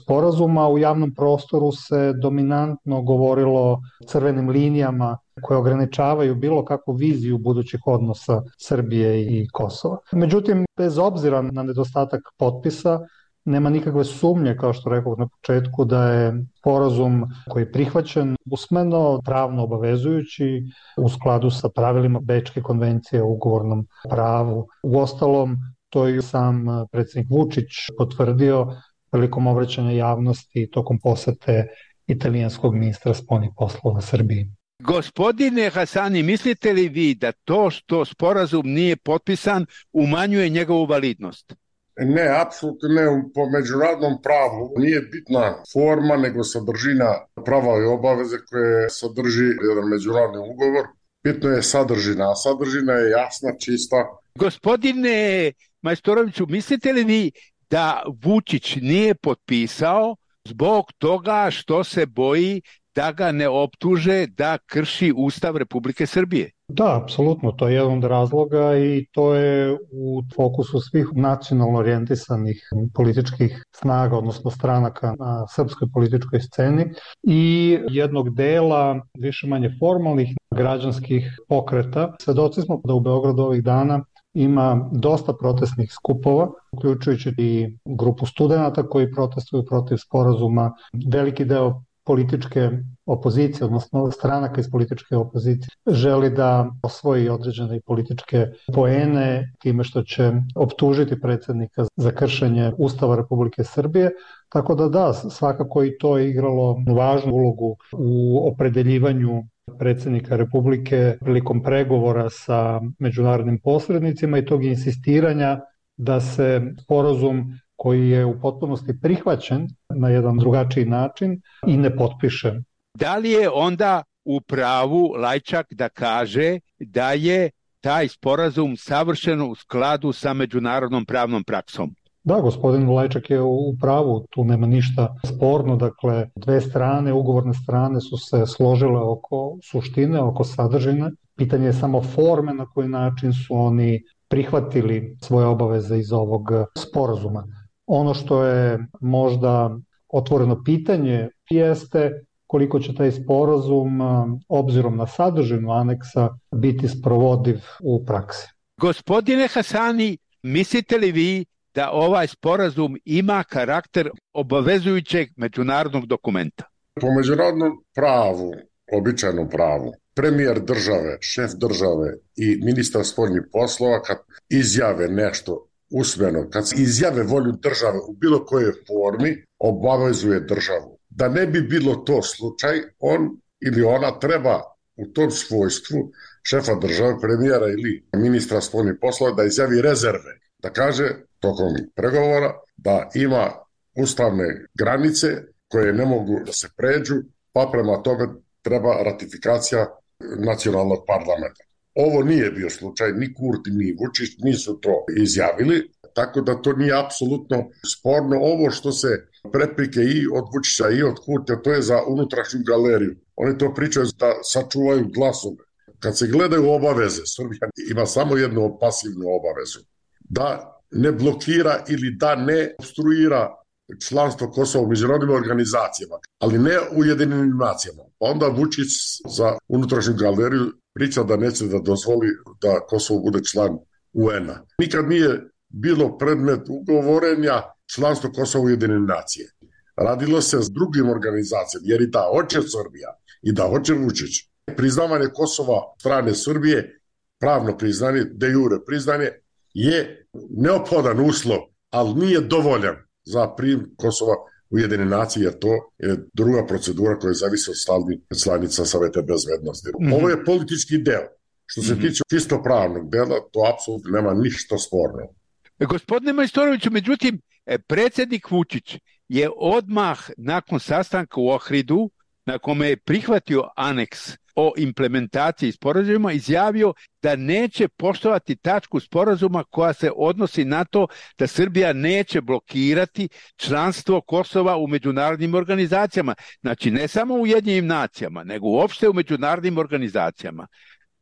sporazuma, u javnom prostoru se dominantno govorilo o crvenim linijama koje ograničavaju bilo kakvu viziju budućih odnosa Srbije i Kosova. Međutim, bez obzira na nedostatak potpisa, nema nikakve sumnje, kao što rekao na početku, da je sporazum koji je prihvaćen usmeno pravno obavezujući u skladu sa pravilima Bečke konvencije o ugovornom pravu. Uostalom, to je sam predsjednik Vučić potvrdio prilikom obraćanja javnosti tokom posete italijanskog ministra spoljnih poslova Srbiji. Gospodine Hasani, mislite li vi da to što sporazum nije potpisan umanjuje njegovu validnost? Ne, apsolutno ne. Po međunarodnom pravu nije bitna forma, nego sadržina prava i obaveze koje sadrži jedan međunarodni ugovor. Bitno je sadržina, a sadržina je jasna, čista. Gospodine Majstoroviću, mislite li vi da Vučić nije potpisao zbog toga što se boji da ga ne optuže da krši Ustav Republike Srbije? Da, apsolutno, to je jedan od razloga i to je u fokusu svih nacionalno orijentisanih političkih snaga, odnosno stranaka na srpskoj političkoj sceni i jednog dela više manje formalnih građanskih pokreta. Svedoci smo da u Beogradu ovih dana ima dosta protestnih skupova, uključujući i grupu studenata koji protestuju protiv sporazuma. Veliki deo političke opozicije, odnosno stranaka iz političke opozicije, želi da osvoji određene političke poene time što će optužiti predsjednika za kršenje Ustava Republike Srbije. Tako da, svakako i to je igralo važnu ulogu u opredeljivanju predsjednika Republike prilikom pregovora sa međunarodnim posrednicima i tog insistiranja da se sporazum koji je u potpunosti prihvaćen na jedan drugačiji način i ne potpiše. Da li je onda u pravu Lajčak da kaže da je taj sporazum savršeno u skladu sa međunarodnom pravnom praksom? Da, gospodin Lajčak je u pravu, tu nema ništa sporno, dakle dve strane, ugovorne strane su se složile oko suštine, oko sadržine. Pitanje je samo forme na koji način su oni prihvatili svoje obaveze iz ovog sporazuma. Ono što je možda otvoreno pitanje jeste koliko će taj sporazum, obzirom na sadržinu aneksa, biti sprovodiv u praksi. Gospodine Hasani, mislite li vi da ovaj sporazum ima karakter obavezujućeg međunarodnog dokumenta? Po međunarodnom pravu, običajnom pravu, premijer države, šef države i ministar spoljnih poslova kad izjave nešto usmeno, kad izjave volju države u bilo kojoj formi, obavezuje državu. Da ne bi bilo to slučaj, on ili ona treba u tom svojstvu šefa države, premijera ili ministra spoljnih poslova da izjavi rezerve, da kaže tokom pregovora da ima ustavne granice koje ne mogu da se pređu, pa prema tome treba ratifikacija nacionalnog parlamenta. Ovo nije bio slučaj, ni Kurti, ni Vučić nisu to izjavili, tako da to nije apsolutno sporno. Ovo što se preprike i od Vučića i od Kurtija, to je za unutrašnju galeriju. Oni to pričaju da sačuvaju glasove. Kad se gledaju obaveze, Srbija ima samo jednu pasivnu obavezu. Da ne blokira ili da ne obstruira članstvo Kosova u međunarodnim organizacijama, ali ne u Ujedinjenim nacijama. Onda Vučić za unutrašnju galeriju priča da neće da dozvoli da Kosovo bude član UN-a. Nikad nije bilo predmet ugovorenja članstvo Kosova u Ujedinjene nacije. Radilo se s drugim organizacijama, jer i da hoće Srbija i da hoće Vučić. Priznavanje Kosova strane Srbije, pravno priznanje, de jure priznanje, je neophodan uslov, ali nije dovoljan za prijem Kosova u Ujedinjene nacije, jer to je druga procedura koja zavisi od stalnih članica Saveta bezbednosti. Ovo je politički deo. Što se tiče čisto pravnog dela, to apsolutno nema ništa sporno. Gospodine Majstoroviću, međutim, predsjednik Vučić je odmah nakon sastanka u Ohridu, na kome je prihvatio aneks o implementaciji sporazuma, izjavio da neće poštovati tačku sporazuma koja se odnosi na to da Srbija neće blokirati članstvo Kosova u međunarodnim organizacijama. Znači, ne samo u Ujedinjenim nacijama, nego uopšte u međunarodnim organizacijama.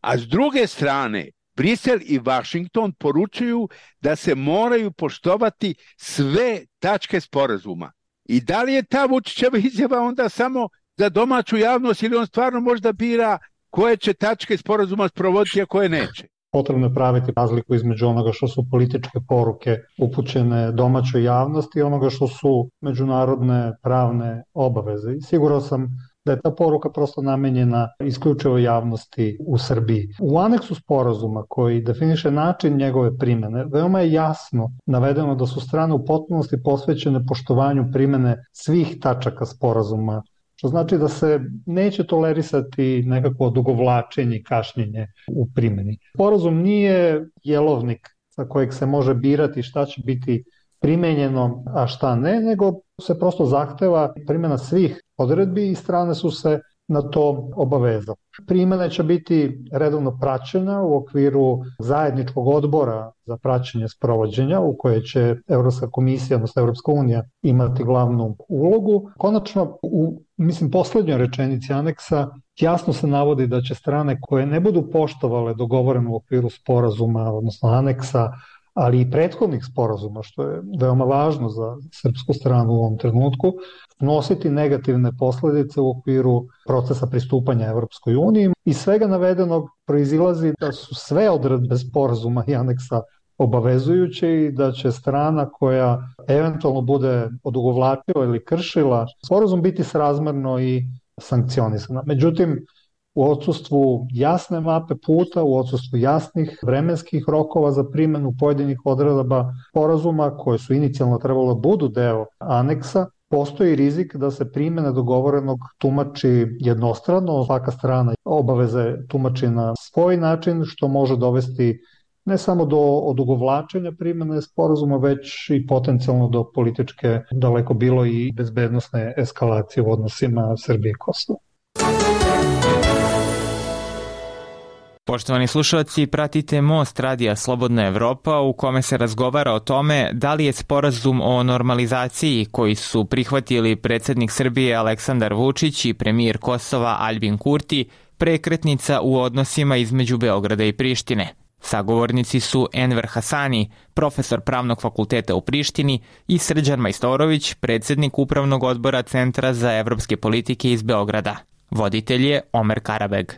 A s druge strane, Brisel i Vašington poručuju da se moraju poštovati sve tačke sporazuma. I da li je ta Vučićeva izjava onda samo za domaću javnost ili on stvarno možda bira koje će tačke sporazuma sprovoditi, a koje neće? Potrebno je praviti razliku između onoga što su političke poruke upućene domaćoj javnosti i onoga što su međunarodne pravne obaveze. I siguran sam da je ta poruka prosto namenjena isključivo javnosti u Srbiji. U aneksu sporazuma koji definiše način njegove primene, veoma je jasno navedeno da su strane u potpunosti posvećene poštovanju primene svih tačaka sporazuma, što znači da se neće tolerisati nekako odugovlačenje i kašnjenje u primjeni. Sporazum nije jelovnik sa kojeg se može birati šta će biti primenjeno, a šta ne, nego se prosto zahteva primjena svih odredbi i strane su se na to obavezao. Primjena će biti redovno praćena u okviru zajedničkog odbora za praćenje sprovođenja u koje će Evropska komisija, odnosno Evropska unija imati glavnu ulogu. Konačno, u poslednjoj rečenici aneksa jasno se navodi da će strane koje ne budu poštovale dogovoreno u okviru sporazuma, odnosno aneksa, ali i prethodnih sporazuma, što je veoma važno za srpsku stranu u ovom trenutku, nositi negativne posledice u okviru procesa pristupanja Evropskoj uniji. Iz svega navedenog proizilazi da su sve odredbe sporazuma i aneksa obavezujuće i da će strana koja eventualno bude odugovlačila ili kršila sporazum biti srazmerno i sankcionisana. Međutim, u odsustvu jasne mape puta, u odsustvu jasnih vremenskih rokova za primjenu pojedinih odredaba sporazuma koje su inicijalno trebalo da budu deo aneksa, postoji rizik da se primjena dogovorenog tumači jednostrano, svaka strana obaveze tumači na svoj način, što može dovesti ne samo do odugovlačenja primjene sporazuma, već i potencijalno do političke, daleko bilo i bezbednosne eskalacije u odnosima Srbije i Kosova. Poštovani slušalci, pratite Most radija Slobodna Evropa u kome se razgovara o tome da li je sporazum o normalizaciji koji su prihvatili predsjednik Srbije Aleksandar Vučić i premijer Kosova Aljbin Kurti prekretnica u odnosima između Beograda i Prištine. Sagovornici su Enver Hasani, profesor Pravnog fakulteta u Prištini, i Srđan Majstorović, predsjednik Upravnog odbora Centra za evropske politike iz Beograda. Voditelj je Omer Karabeg.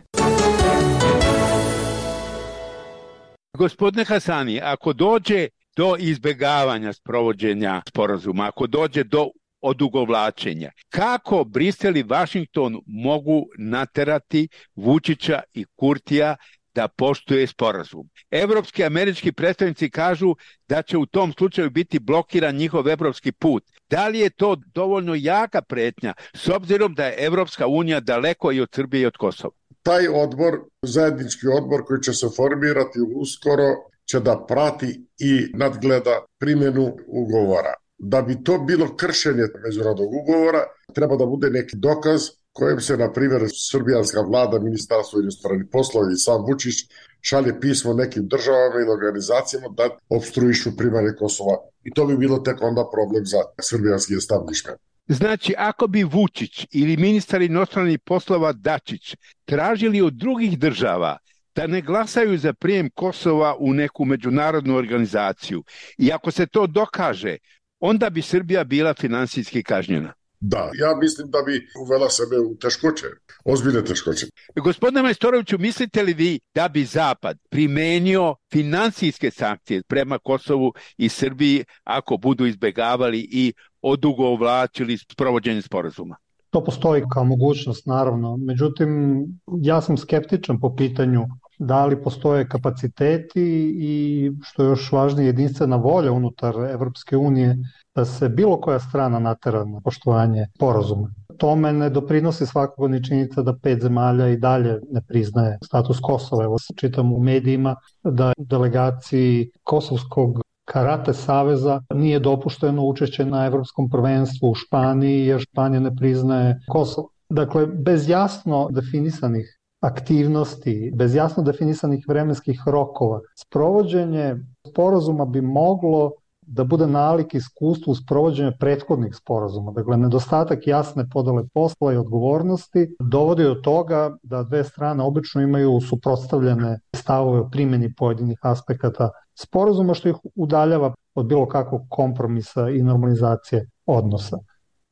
Gospodine Hasani, ako dođe do izbjegavanja sprovođenja sporazuma, ako dođe do odugovlačenja, kako Brisel i Vašington mogu naterati Vučića i Kurtija da poštuje sporazum? Evropski i američki predstavnici kažu da će u tom slučaju biti blokiran njihov evropski put. Da li je to dovoljno jaka pretnja, s obzirom da je Evropska unija daleko i od Srbije i od Kosova? Taj odbor, zajednički odbor koji će se formirati uskoro, će da prati i nadgleda primjenu ugovora. Da bi to bilo kršenje međunarodnog ugovora, treba da bude neki dokaz kojem se, na primjer, srbijanska vlada, ministarstvo inostranih poslova i sam Vučić šalje pismo nekim državama ili organizacijama da opstruišu primanje Kosova. I to bi bilo tek onda problem za srbijanski establishment. Znači, ako bi Vučić ili ministar inostranih poslova Dačić tražili od drugih država da ne glasaju za prijem Kosova u neku međunarodnu organizaciju i ako se to dokaže, onda bi Srbija bila finansijski kažnjena. Da, ja mislim da bi uvela sebe u teškoće, ozbiljne teškoće. Gospodine Majstoroviću, mislite li vi da bi Zapad primenio finansijske sankcije prema Kosovu i Srbiji ako budu izbjegavali i odugovlačili sprovođenje sporazuma? To postoji kao mogućnost, naravno. Međutim, ja sam skeptičan po pitanju da li postoje kapaciteti i, što je još važnije, jedinstvena volja unutar Evropske unije da se bilo koja strana natera na poštovanje sporazuma. Tome ne doprinosi svakako ni činjenica da 5 zemalja i dalje ne priznaje status Kosova. Evo, čitam u medijima da delegaciji Kosovskog Karate saveza nije dopušteno učešće na evropskom prvenstvu u Španiji jer Španija ne priznaje Kosovo. Dakle, bez jasno definisanih aktivnosti, bez jasno definisanih vremenskih rokova, sprovođenje sporazuma bi moglo da bude nalik iskustvu sprovođenja prethodnih sporazuma. Dakle, nedostatak jasne podele posla i odgovornosti dovodi do toga da dve strane obično imaju suprotstavljene stavove o primjeni pojedinih aspekata sporazuma, što ih udaljava od bilo kakvog kompromisa i normalizacije odnosa.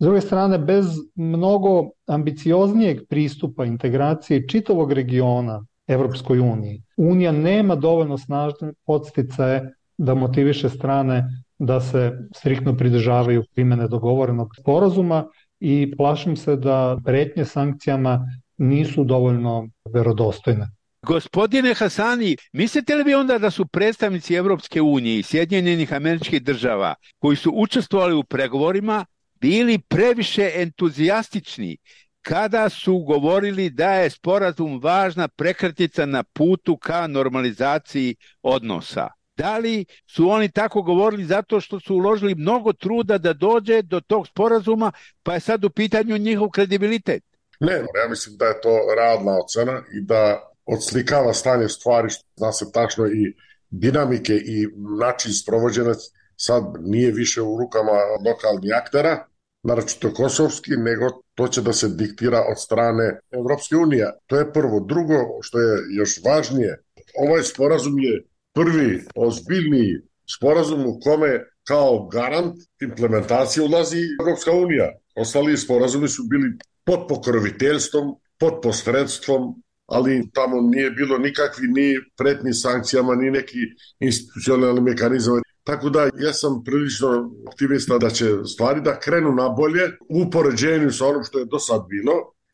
S druge strane, bez mnogo ambicioznijeg pristupa integracije čitavog regiona Evropskoj uniji, Unija nema dovoljno snažne podsticaje da motiviše strane da se striktno pridržavaju primjene dogovorenog sporazuma i plašim se da pretnje sankcijama nisu dovoljno verodostojne. Gospodine Hasani, mislite li vi onda da su predstavnici Evropske unije i Sjedinjenih Američkih Država koji su učestvovali u pregovorima bili previše entuzijastični kada su govorili da je sporazum važna prekretnica na putu ka normalizaciji odnosa? Da li su oni tako govorili zato što su uložili mnogo truda da dođe do tog sporazuma, pa je sad u pitanju njihov kredibilitet? Ne, ja mislim da je to realna ocena i da odslikava stanje stvari, zna se tačno i dinamike i način sprovođenja sad nije više u rukama lokalnih aktera, naročito kosovski, nego to će da se diktira od strane Evropske unije. To je prvo. Drugo, što je još važnije, ovaj sporazum je prvi ozbiljniji sporazum u kome kao garant implementacije ulazi Evropska unija. Ostali sporazumi su bili pod pokroviteljstvom, pod posredstvom, ali tamo nije bilo nikakvi ni pretnji sankcijama, ni neki institucionalni mehanizam. Tako da ja sam prilično optimista da će stvari da krenu na bolje u poređenju sa onom što je do sad bilo.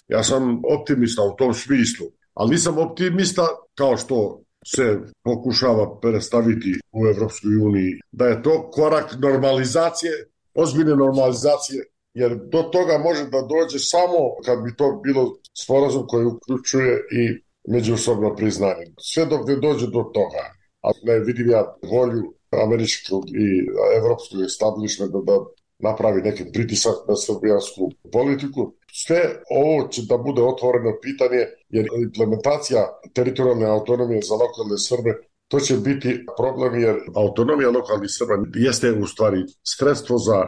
Ja sam optimista u tom smislu, ali nisam optimista kao što se pokušava predstaviti u Evropskoj uniji, da je to korak normalizacije, ozbiljne normalizacije, jer do toga može da dođe samo kad bi to bilo sporazum koji uključuje i međusobno priznanje. Sve dok ne dođe do toga, a ne vidim ja volju američkog i evropskog establishmenta da napravi neki pritisak na srbijansku politiku. Sve ovo će da bude otvoreno pitanje, jer implementacija teritorijalne autonomije za lokalne Srbe, to će biti problem, jer autonomija lokalnih Srba jeste u stvari sredstvo za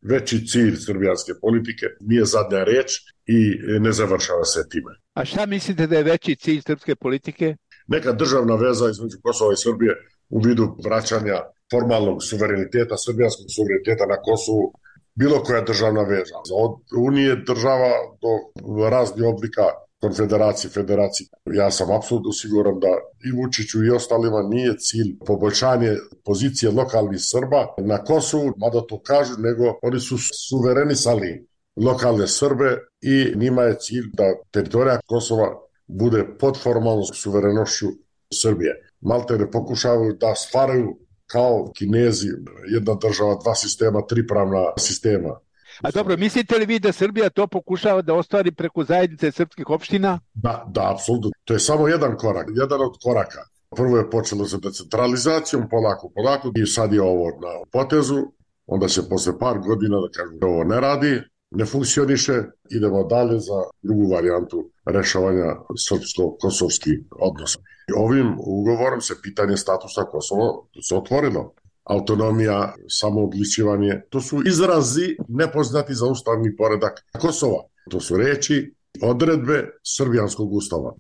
veći cilj srbijanske politike, nije zadnja reč i ne završava se time. A šta mislite da je veći cilj srpske politike? Neka državna veza između Kosova i Srbije u vidu vraćanja formalnog suvereniteta, srbijanskog suvereniteta na Kosovu, bilo koja državna veza. Od unije država do raznih oblika konfederacije, federacije. Ja sam apsolutno siguran da i Vučiću i ostalima nije cilj poboljšanje pozicije lokalnih Srba na Kosovu, mada to kažu, nego oni su suverenisali lokalne Srbe i njima je cilj da teritorija Kosova bude pod formalnom suverenošću Srbije. Malte ne pokušavaju da stvaraju kao Kinezi, jedna država, dva sistema, tri pravna sistema. A dobro, mislite li vi da Srbija to pokušava da ostvari preko zajednice srpskih opština? Da, apsolutno. To je samo jedan korak, jedan od koraka. Prvo je počelo sa decentralizacijom, polako, i sad je ovo na potezu, onda će posle par godina da kažu da ovo ne radi, ne funkcioniše, idemo dalje za drugu varijantu rešavanja srpsko-kosovskih odnosa. Ovim ugovorom se pitanje statusa Kosova se otvorilo. Autonomija, samoodličivanje, to su izrazi nepoznati za ustavni poredak Kosova. To su reči, odredbe srbijanskog ustava.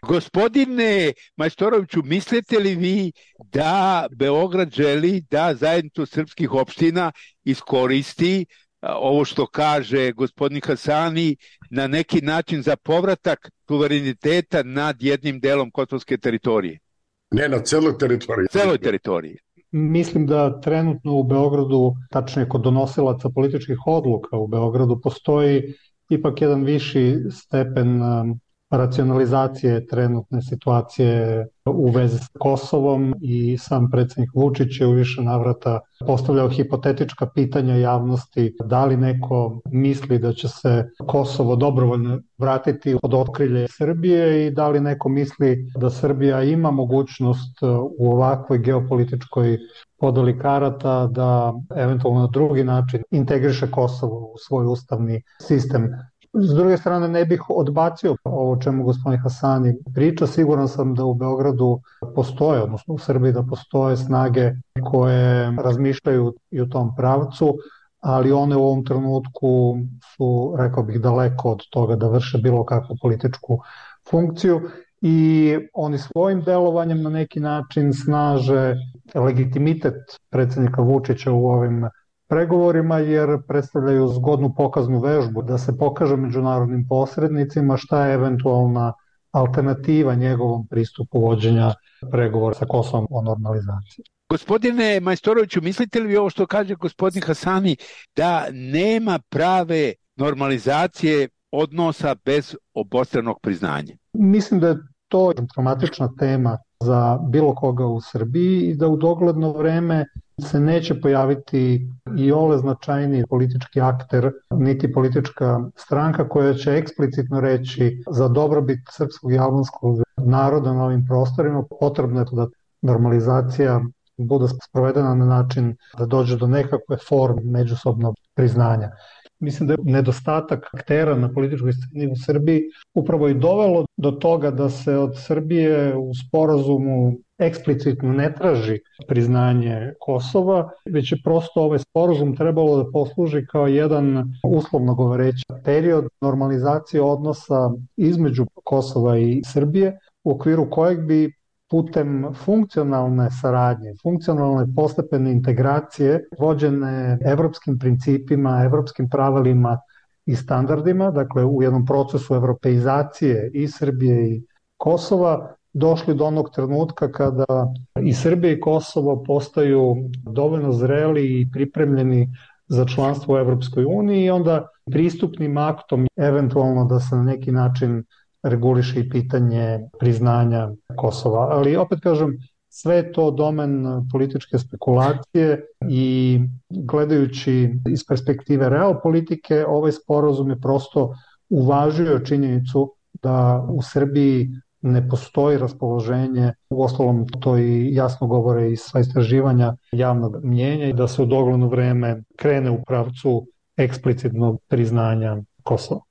Gospodine Majstoroviću, mislite li vi da Beograd želi da zajednicu srpskih opština iskoristi ovo što kaže gospodin Hasani na neki način za povratak suvereniteta nad jednim delom kosovske teritorije? Ne, na celoj teritoriji. Celoj teritoriji. Mislim da trenutno u Beogradu, tačnije kod donosilaca političkih odluka u Beogradu, postoji ipak jedan viši stepen racionalizacije trenutne situacije u vezi s Kosovom i sam predsjednik Vučić je u više navrata postavljao hipotetička pitanja javnosti da li neko misli da će se Kosovo dobrovoljno vratiti pod okrilje Srbije i da li neko misli da Srbija ima mogućnost u ovakvoj geopolitičkoj podeli karata da eventualno na drugi način integriše Kosovo u svoj ustavni sistem. S druge strane, ne bih odbacio ovo o čemu gospodin Hasani priča. Siguran sam da u Beogradu postoje, odnosno u Srbiji da postoje snage koje razmišljaju i u tom pravcu, ali one u ovom trenutku su, rekao bih, daleko od toga da vrše bilo kakvu političku funkciju i oni svojim delovanjem na neki način snaže legitimitet predsjednika Vučića u ovim pregovorima jer predstavljaju zgodnu pokaznu vežbu da se pokaže međunarodnim posrednicima šta je eventualna alternativa njegovom pristupu vođenja pregovora sa Kosovom o normalizaciji. Gospodine Majstoroviću, mislite li vi ovo što kaže gospodin Hasani da nema prave normalizacije odnosa bez obostranog priznanja? Mislim da je to traumatična tema za bilo koga u Srbiji i da u dogledno vreme se neće pojaviti i ole značajniji politički akter, niti politička stranka koja će eksplicitno reći za dobrobit srpskog i albanskog naroda na ovim prostorima potrebno je da normalizacija bude sprovedena na način da dođe do nekakve forme međusobnog priznanja. mislim da je nedostatak aktera na političkoj sceni u Srbiji upravo i dovelo do toga da se od Srbije u sporazumu eksplicitno ne traži priznanje Kosova, već je prosto ovaj sporazum trebalo da posluži kao jedan, uslovno govoreći, period normalizacije odnosa između Kosova i Srbije, u okviru kojeg bi putem funkcionalne saradnje, funkcionalne postepene integracije vođene evropskim principima, evropskim pravilima i standardima, dakle u jednom procesu evropeizacije i Srbije i Kosova, došli do onog trenutka kada i Srbija i Kosovo postaju dovoljno zreli i pripremljeni za članstvo u Evropskoj uniji i onda pristupnim aktom eventualno da se na neki način reguliše i pitanje priznanja Kosova. Ali opet kažem, sve je to domen političke spekulacije i gledajući iz perspektive realpolitike, ovaj sporazum je prosto uvažio činjenicu da u Srbiji ne postoji raspoloženje, uostalom to i jasno govore i sva istraživanja javnog mnjenja i da se u dogledno vreme krene u pravcu eksplicitnog priznanja Kosova.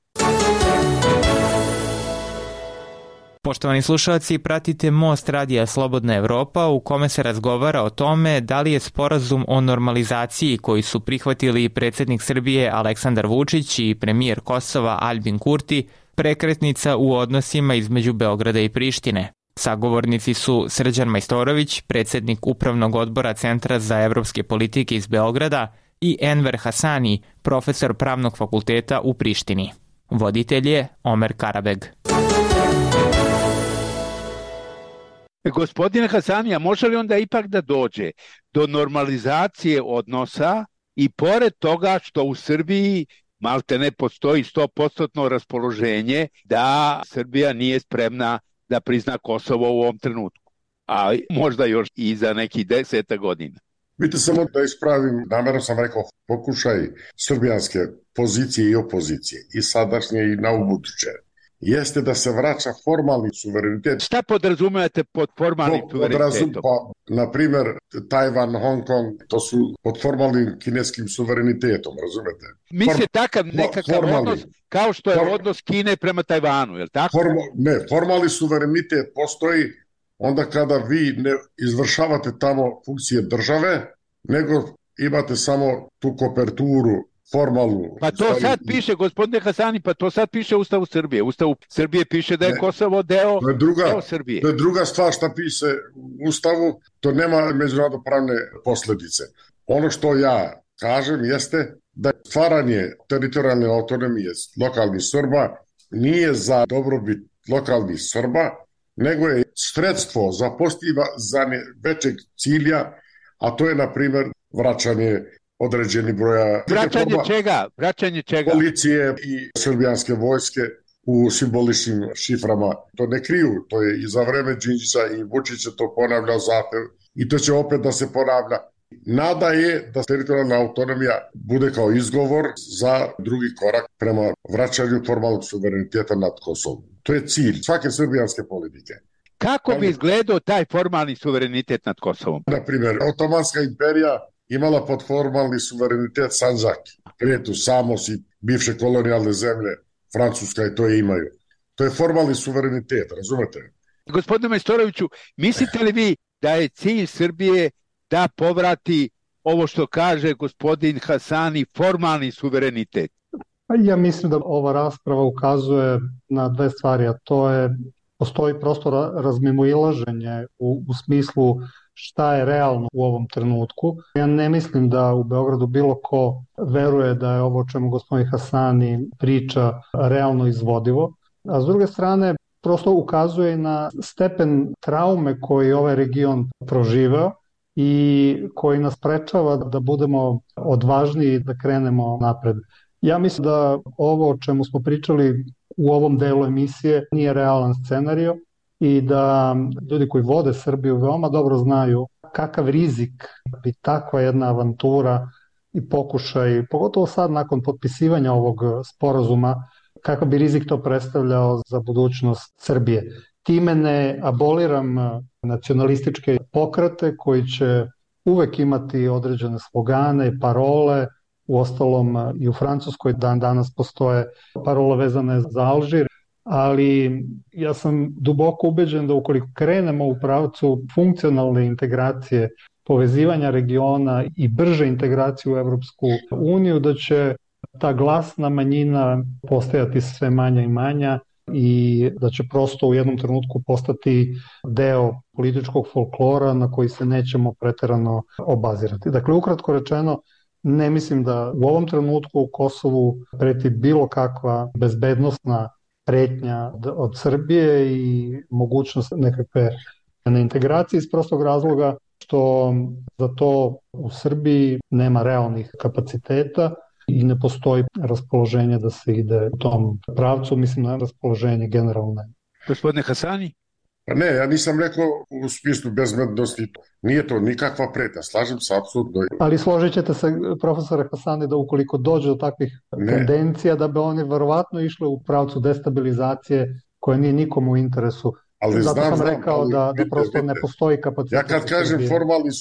Poštovani slušalci, pratite Most radija Slobodna Evropa u kome se razgovara o tome da li je sporazum o normalizaciji koji su prihvatili predsjednik Srbije Aleksandar Vučić i premijer Kosova Aljbin Kurti prekretnica u odnosima između Beograda i Prištine. Sagovornici su Srđan Majstorović, predsjednik Upravnog odbora Centra za evropske politike iz Beograda, i Enver Hasani, profesor Pravnog fakulteta u Prištini. Voditelj je Omer Karabeg. Gospodine Hasanija, može li onda ipak da dođe do normalizacije odnosa i pored toga što u Srbiji malte ne postoji 100% raspoloženje da Srbija nije spremna da prizna Kosovo u ovom trenutku, a možda još i za neki 10 godina? Vidite, samo da ispravim, namjerno sam rekao, pokušaj srbijanske pozicije i opozicije, i sadašnje i na ubuduće, jeste da se vraća formalni suverenitet. Šta podrazumijete pod formalnim suverenitetom? Na primjer, Tajvan, Hong Kong, to su pod formalnim kineskim suverenitetom, razumete? Misle takav nekakav odnos kao što je odnos Kine prema Tajvanu, je li tako? Formalni suverenitet postoji onda kada vi ne izvršavate tamo funkcije države, nego imate samo tu koperturu formalnu. Pa to sad piše, gospodine Hasani, pa to sad piše u Ustavu Srbije. Ustavu Srbije piše da je Kosovo deo Srbije. To je druga stvar šta piše u Ustavu, to nema međunarodnopravne posljedice. Ono što ja kažem jeste da stvaranje teritorijalne autonomije lokalnih Srba nije za dobrobit lokalnih Srba, nego je sredstvo za postizanje većeg cilja, a to je, na primjer, vraćanje određeni broja... Vraćanje čega? Policije i srbijanske vojske u simboličnim šiframa. To ne kriju, to je i za vreme Đinđića i Vučića to ponavljao zahtev i to će opet da se ponavlja. Nada je da teritorijalna autonomija bude kao izgovor za drugi korak prema vraćanju formalnog suvereniteta nad Kosovom. To je cilj svake srbijanske politike. Kako bi izgledao taj formalni suverenitet nad Kosovom? Na primjer, Otomanska imperija imala pod formalni suverenitet Sandžak, Kretu, Samos i bivše kolonijalne zemlje, Francuska i to je imaju. To je formalni suverenitet, razumete? Gospodine Majstoroviću, mislite li vi da je cilj Srbije da povrati ovo što kaže gospodin Hasani, formalni suverenitet? Ja mislim da ova rasprava ukazuje na dve stvari, a to je postoji prosto razmimoilaženje u smislu šta je realno u ovom trenutku. Ja ne mislim da u Beogradu bilo ko veruje da je ovo o čemu gospodin Hasani priča realno izvodivo. A s druge strane, prosto ukazuje na stepen traume koji ovaj region proživeo i koji nas sprečava da budemo odvažniji da krenemo napred. Ja mislim da ovo o čemu smo pričali u ovom delu emisije nije realan scenario i da ljudi koji vode Srbiju veoma dobro znaju kakav rizik bi takva jedna avantura i pokušaj, pogotovo sad nakon potpisivanja ovog sporazuma, kakav bi rizik to predstavljao za budućnost Srbije. Time ne aboliram nacionalističke pokrete koji će uvek imati određene slogane, parole Uostalom i u Francuskoj danas postoje parole vezane za Alžir, ali ja sam duboko ubeđen da ukoliko krenemo u pravcu funkcionalne integracije, povezivanja regiona i brže integracije u Evropsku uniju, da će ta glasna manjina postajati sve manja i manja i da će prosto u jednom trenutku postati deo političkog folklora na koji se nećemo preterano obazirati. Dakle, ukratko rečeno, ne mislim da u ovom trenutku u Kosovu preti bilo kakva bezbednosna pretnja od Srbije i mogućnost nekakve integracije iz prostog razloga što za to u Srbiji nema realnih kapaciteta i ne postoji raspoloženje da se ide u tom pravcu, mislim na raspoloženje generalne. Gospodine Hasani? Pa ne, ja nisam rekao u smislu bezbednosti, nije to nikakva pretnja, slažem se apsolutno. Ali složit ćete se, profesore Hasani, da ukoliko dođe do takvih tendencija, da bi oni verovatno išli u pravcu destabilizacije koja nije nikomu u interesu. Ali zato sam rekao da prosto ne postoji kapacitet. Ja kad kažem formalni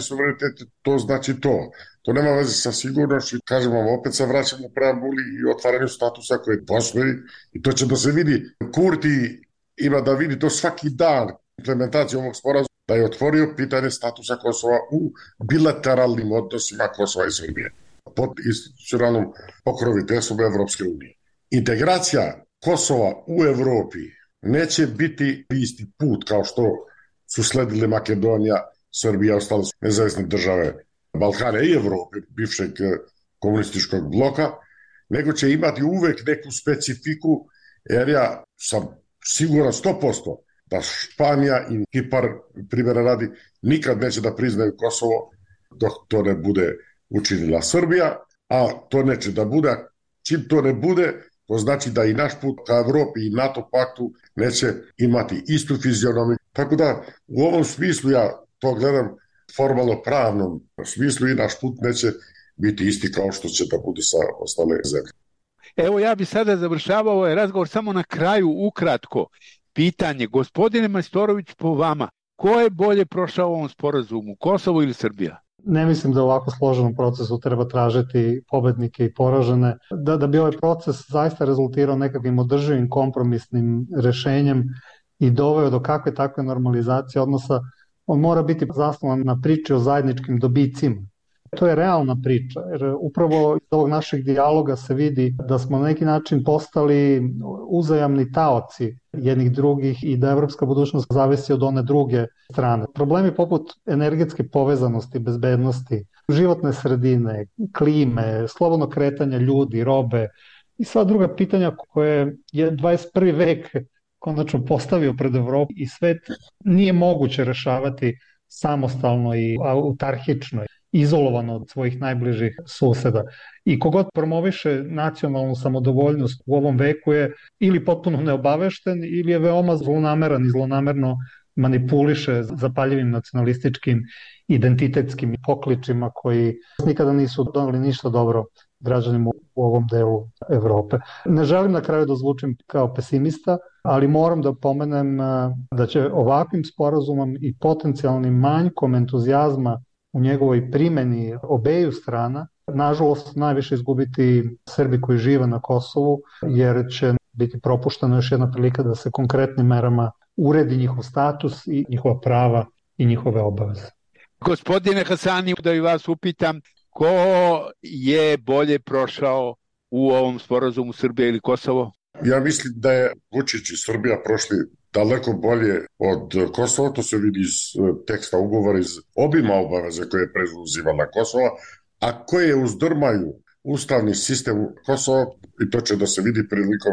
suverenitet, to znači to. To nema veze sa sigurnošću. Kažem vam, opet se vraćamo preambuli i otvaranju statusa koji postoji i to će da se vidi. Kurti ima da vidi to svaki dan implementacijom ovog sporazuma, da je otvorio pitanje statusa Kosova u bilateralnim odnosima Kosova i Srbije pod institucionalnom pokroviteljstvom Evropske unije. Integracija Kosova u Evropi neće biti isti put kao što su sledile Makedonija, Srbija i ostale nezavisne države Balkana i Evrope, bivšeg komunističkog bloka, nego će imati uvek neku specifiku, jer ja sam siguran 100% da Španija i Kipar, primjera radi, nikad neće da priznaju Kosovo dok to ne bude učinila Srbija, a to neće da bude. Čim to ne bude, to znači da i naš put ka Evropi i NATO paktu neće imati istu fizionomiju. Tako da u ovom smislu ja to gledam formalno pravnom smislu i naš put neće biti isti kao što će da bude sa ostale zemlje. Evo ja bi sada završavao ovaj razgovor samo na kraju ukratko. Pitanje, gospodine Majstorović, po vama, ko je bolje prošao u ovom sporazumu, Kosovo ili Srbija? Ne mislim da u ovako složenom procesu treba tražiti pobednike i poražene. Da bi ovaj proces zaista rezultirao nekakvim održivim kompromisnim rešenjem i doveo do kakve takve normalizacije odnosa, on mora biti zasnovan na priči o zajedničkim dobicima. To je realna priča, jer upravo iz ovog našeg dijaloga se vidi da smo na neki način postali uzajamni taoci jednih drugih i da evropska budućnost zavisi od one druge strane. Problemi poput energetske povezanosti, bezbednosti, životne sredine, klime, slobodno kretanja ljudi, robe i sva druga pitanja koje je 21. vek konačno postavio pred Evropu i svet nije moguće rešavati samostalno i autarhično, izolovano od svojih najbližih suseda. I kogod promoviše nacionalnu samodovoljnost u ovom veku je ili potpuno neobavešten ili je veoma zlonameran i zlonamerno manipuliše zapaljivim nacionalističkim identitetskim pokličima koji nikada nisu doneli ništa dobro građanima u ovom delu Evrope. Ne želim na kraju da zvučim kao pesimista, ali moram da pomenem da će ovakvim sporazumom i potencijalnim manjkom entuzijazma u njegovoj primjeni obeju strana, nažalost najviše izgubiti Srbi koji žive na Kosovu, jer će biti propuštena još jedna prilika da se konkretnim merama uredi njihov status i njihova prava i njihove obaveze. Gospodine Hasani, da i vas upitam, ko je bolje prošao u ovom sporazumu, Srbija ili Kosovo? Ja mislim da je Vučić i Srbija prošli daleko bolje od Kosova, to se vidi iz teksta ugovora, iz obima obaveze koje je preuzimala Kosova, a koje uzdrmaju ustavni sistem Kosova, i to će da se vidi prilikom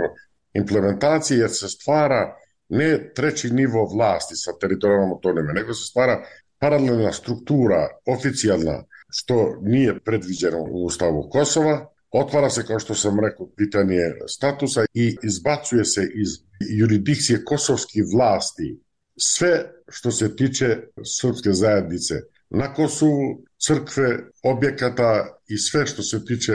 implementacije, jer se stvara ne treći nivo vlasti sa teritorijalnom autonomijom, nego se stvara paralelna struktura, oficijalna, što nije predviđeno u ustavu Kosova. Otvara se, kao što sam rekao, pitanje statusa i izbacuje se iz jurisdikcije kosovskih vlasti sve što se tiče srpske zajednice na Kosovu, crkve, objekata i sve što se tiče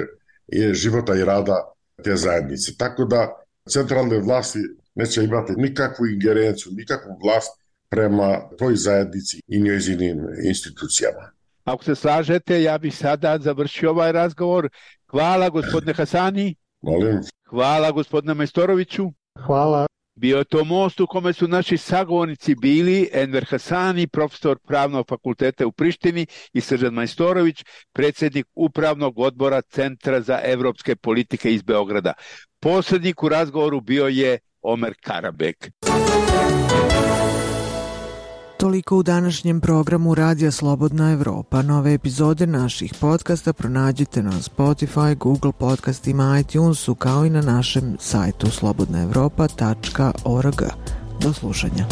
života i rada te zajednice. Tako da centralne vlasti neće imati nikakvu ingerenciju, nikakvu vlast prema toj zajednici i njezinim institucijama. Ako se slažete, ja bih sada završio ovaj razgovor. Hvala gospodine Hasani. Molim. Hvala gospodine Majstoroviću. Hvala. Bio je to most u kome su naši sagovornici bili Enver Hasani, profesor Pravnog fakulteta u Prištini, i Srđan Majstorović, predsjednik Upravnog odbora Centra za evropske politike iz Beograda. Posrednik u razgovoru bio je Omer Karabek. Toliko u današnjem programu Radija Slobodna Evropa. Nove epizode naših podcasta pronađite na Spotify, Google podcastima, iTunesu, kao i na našem sajtu slobodnaevropa.org. Do slušanja.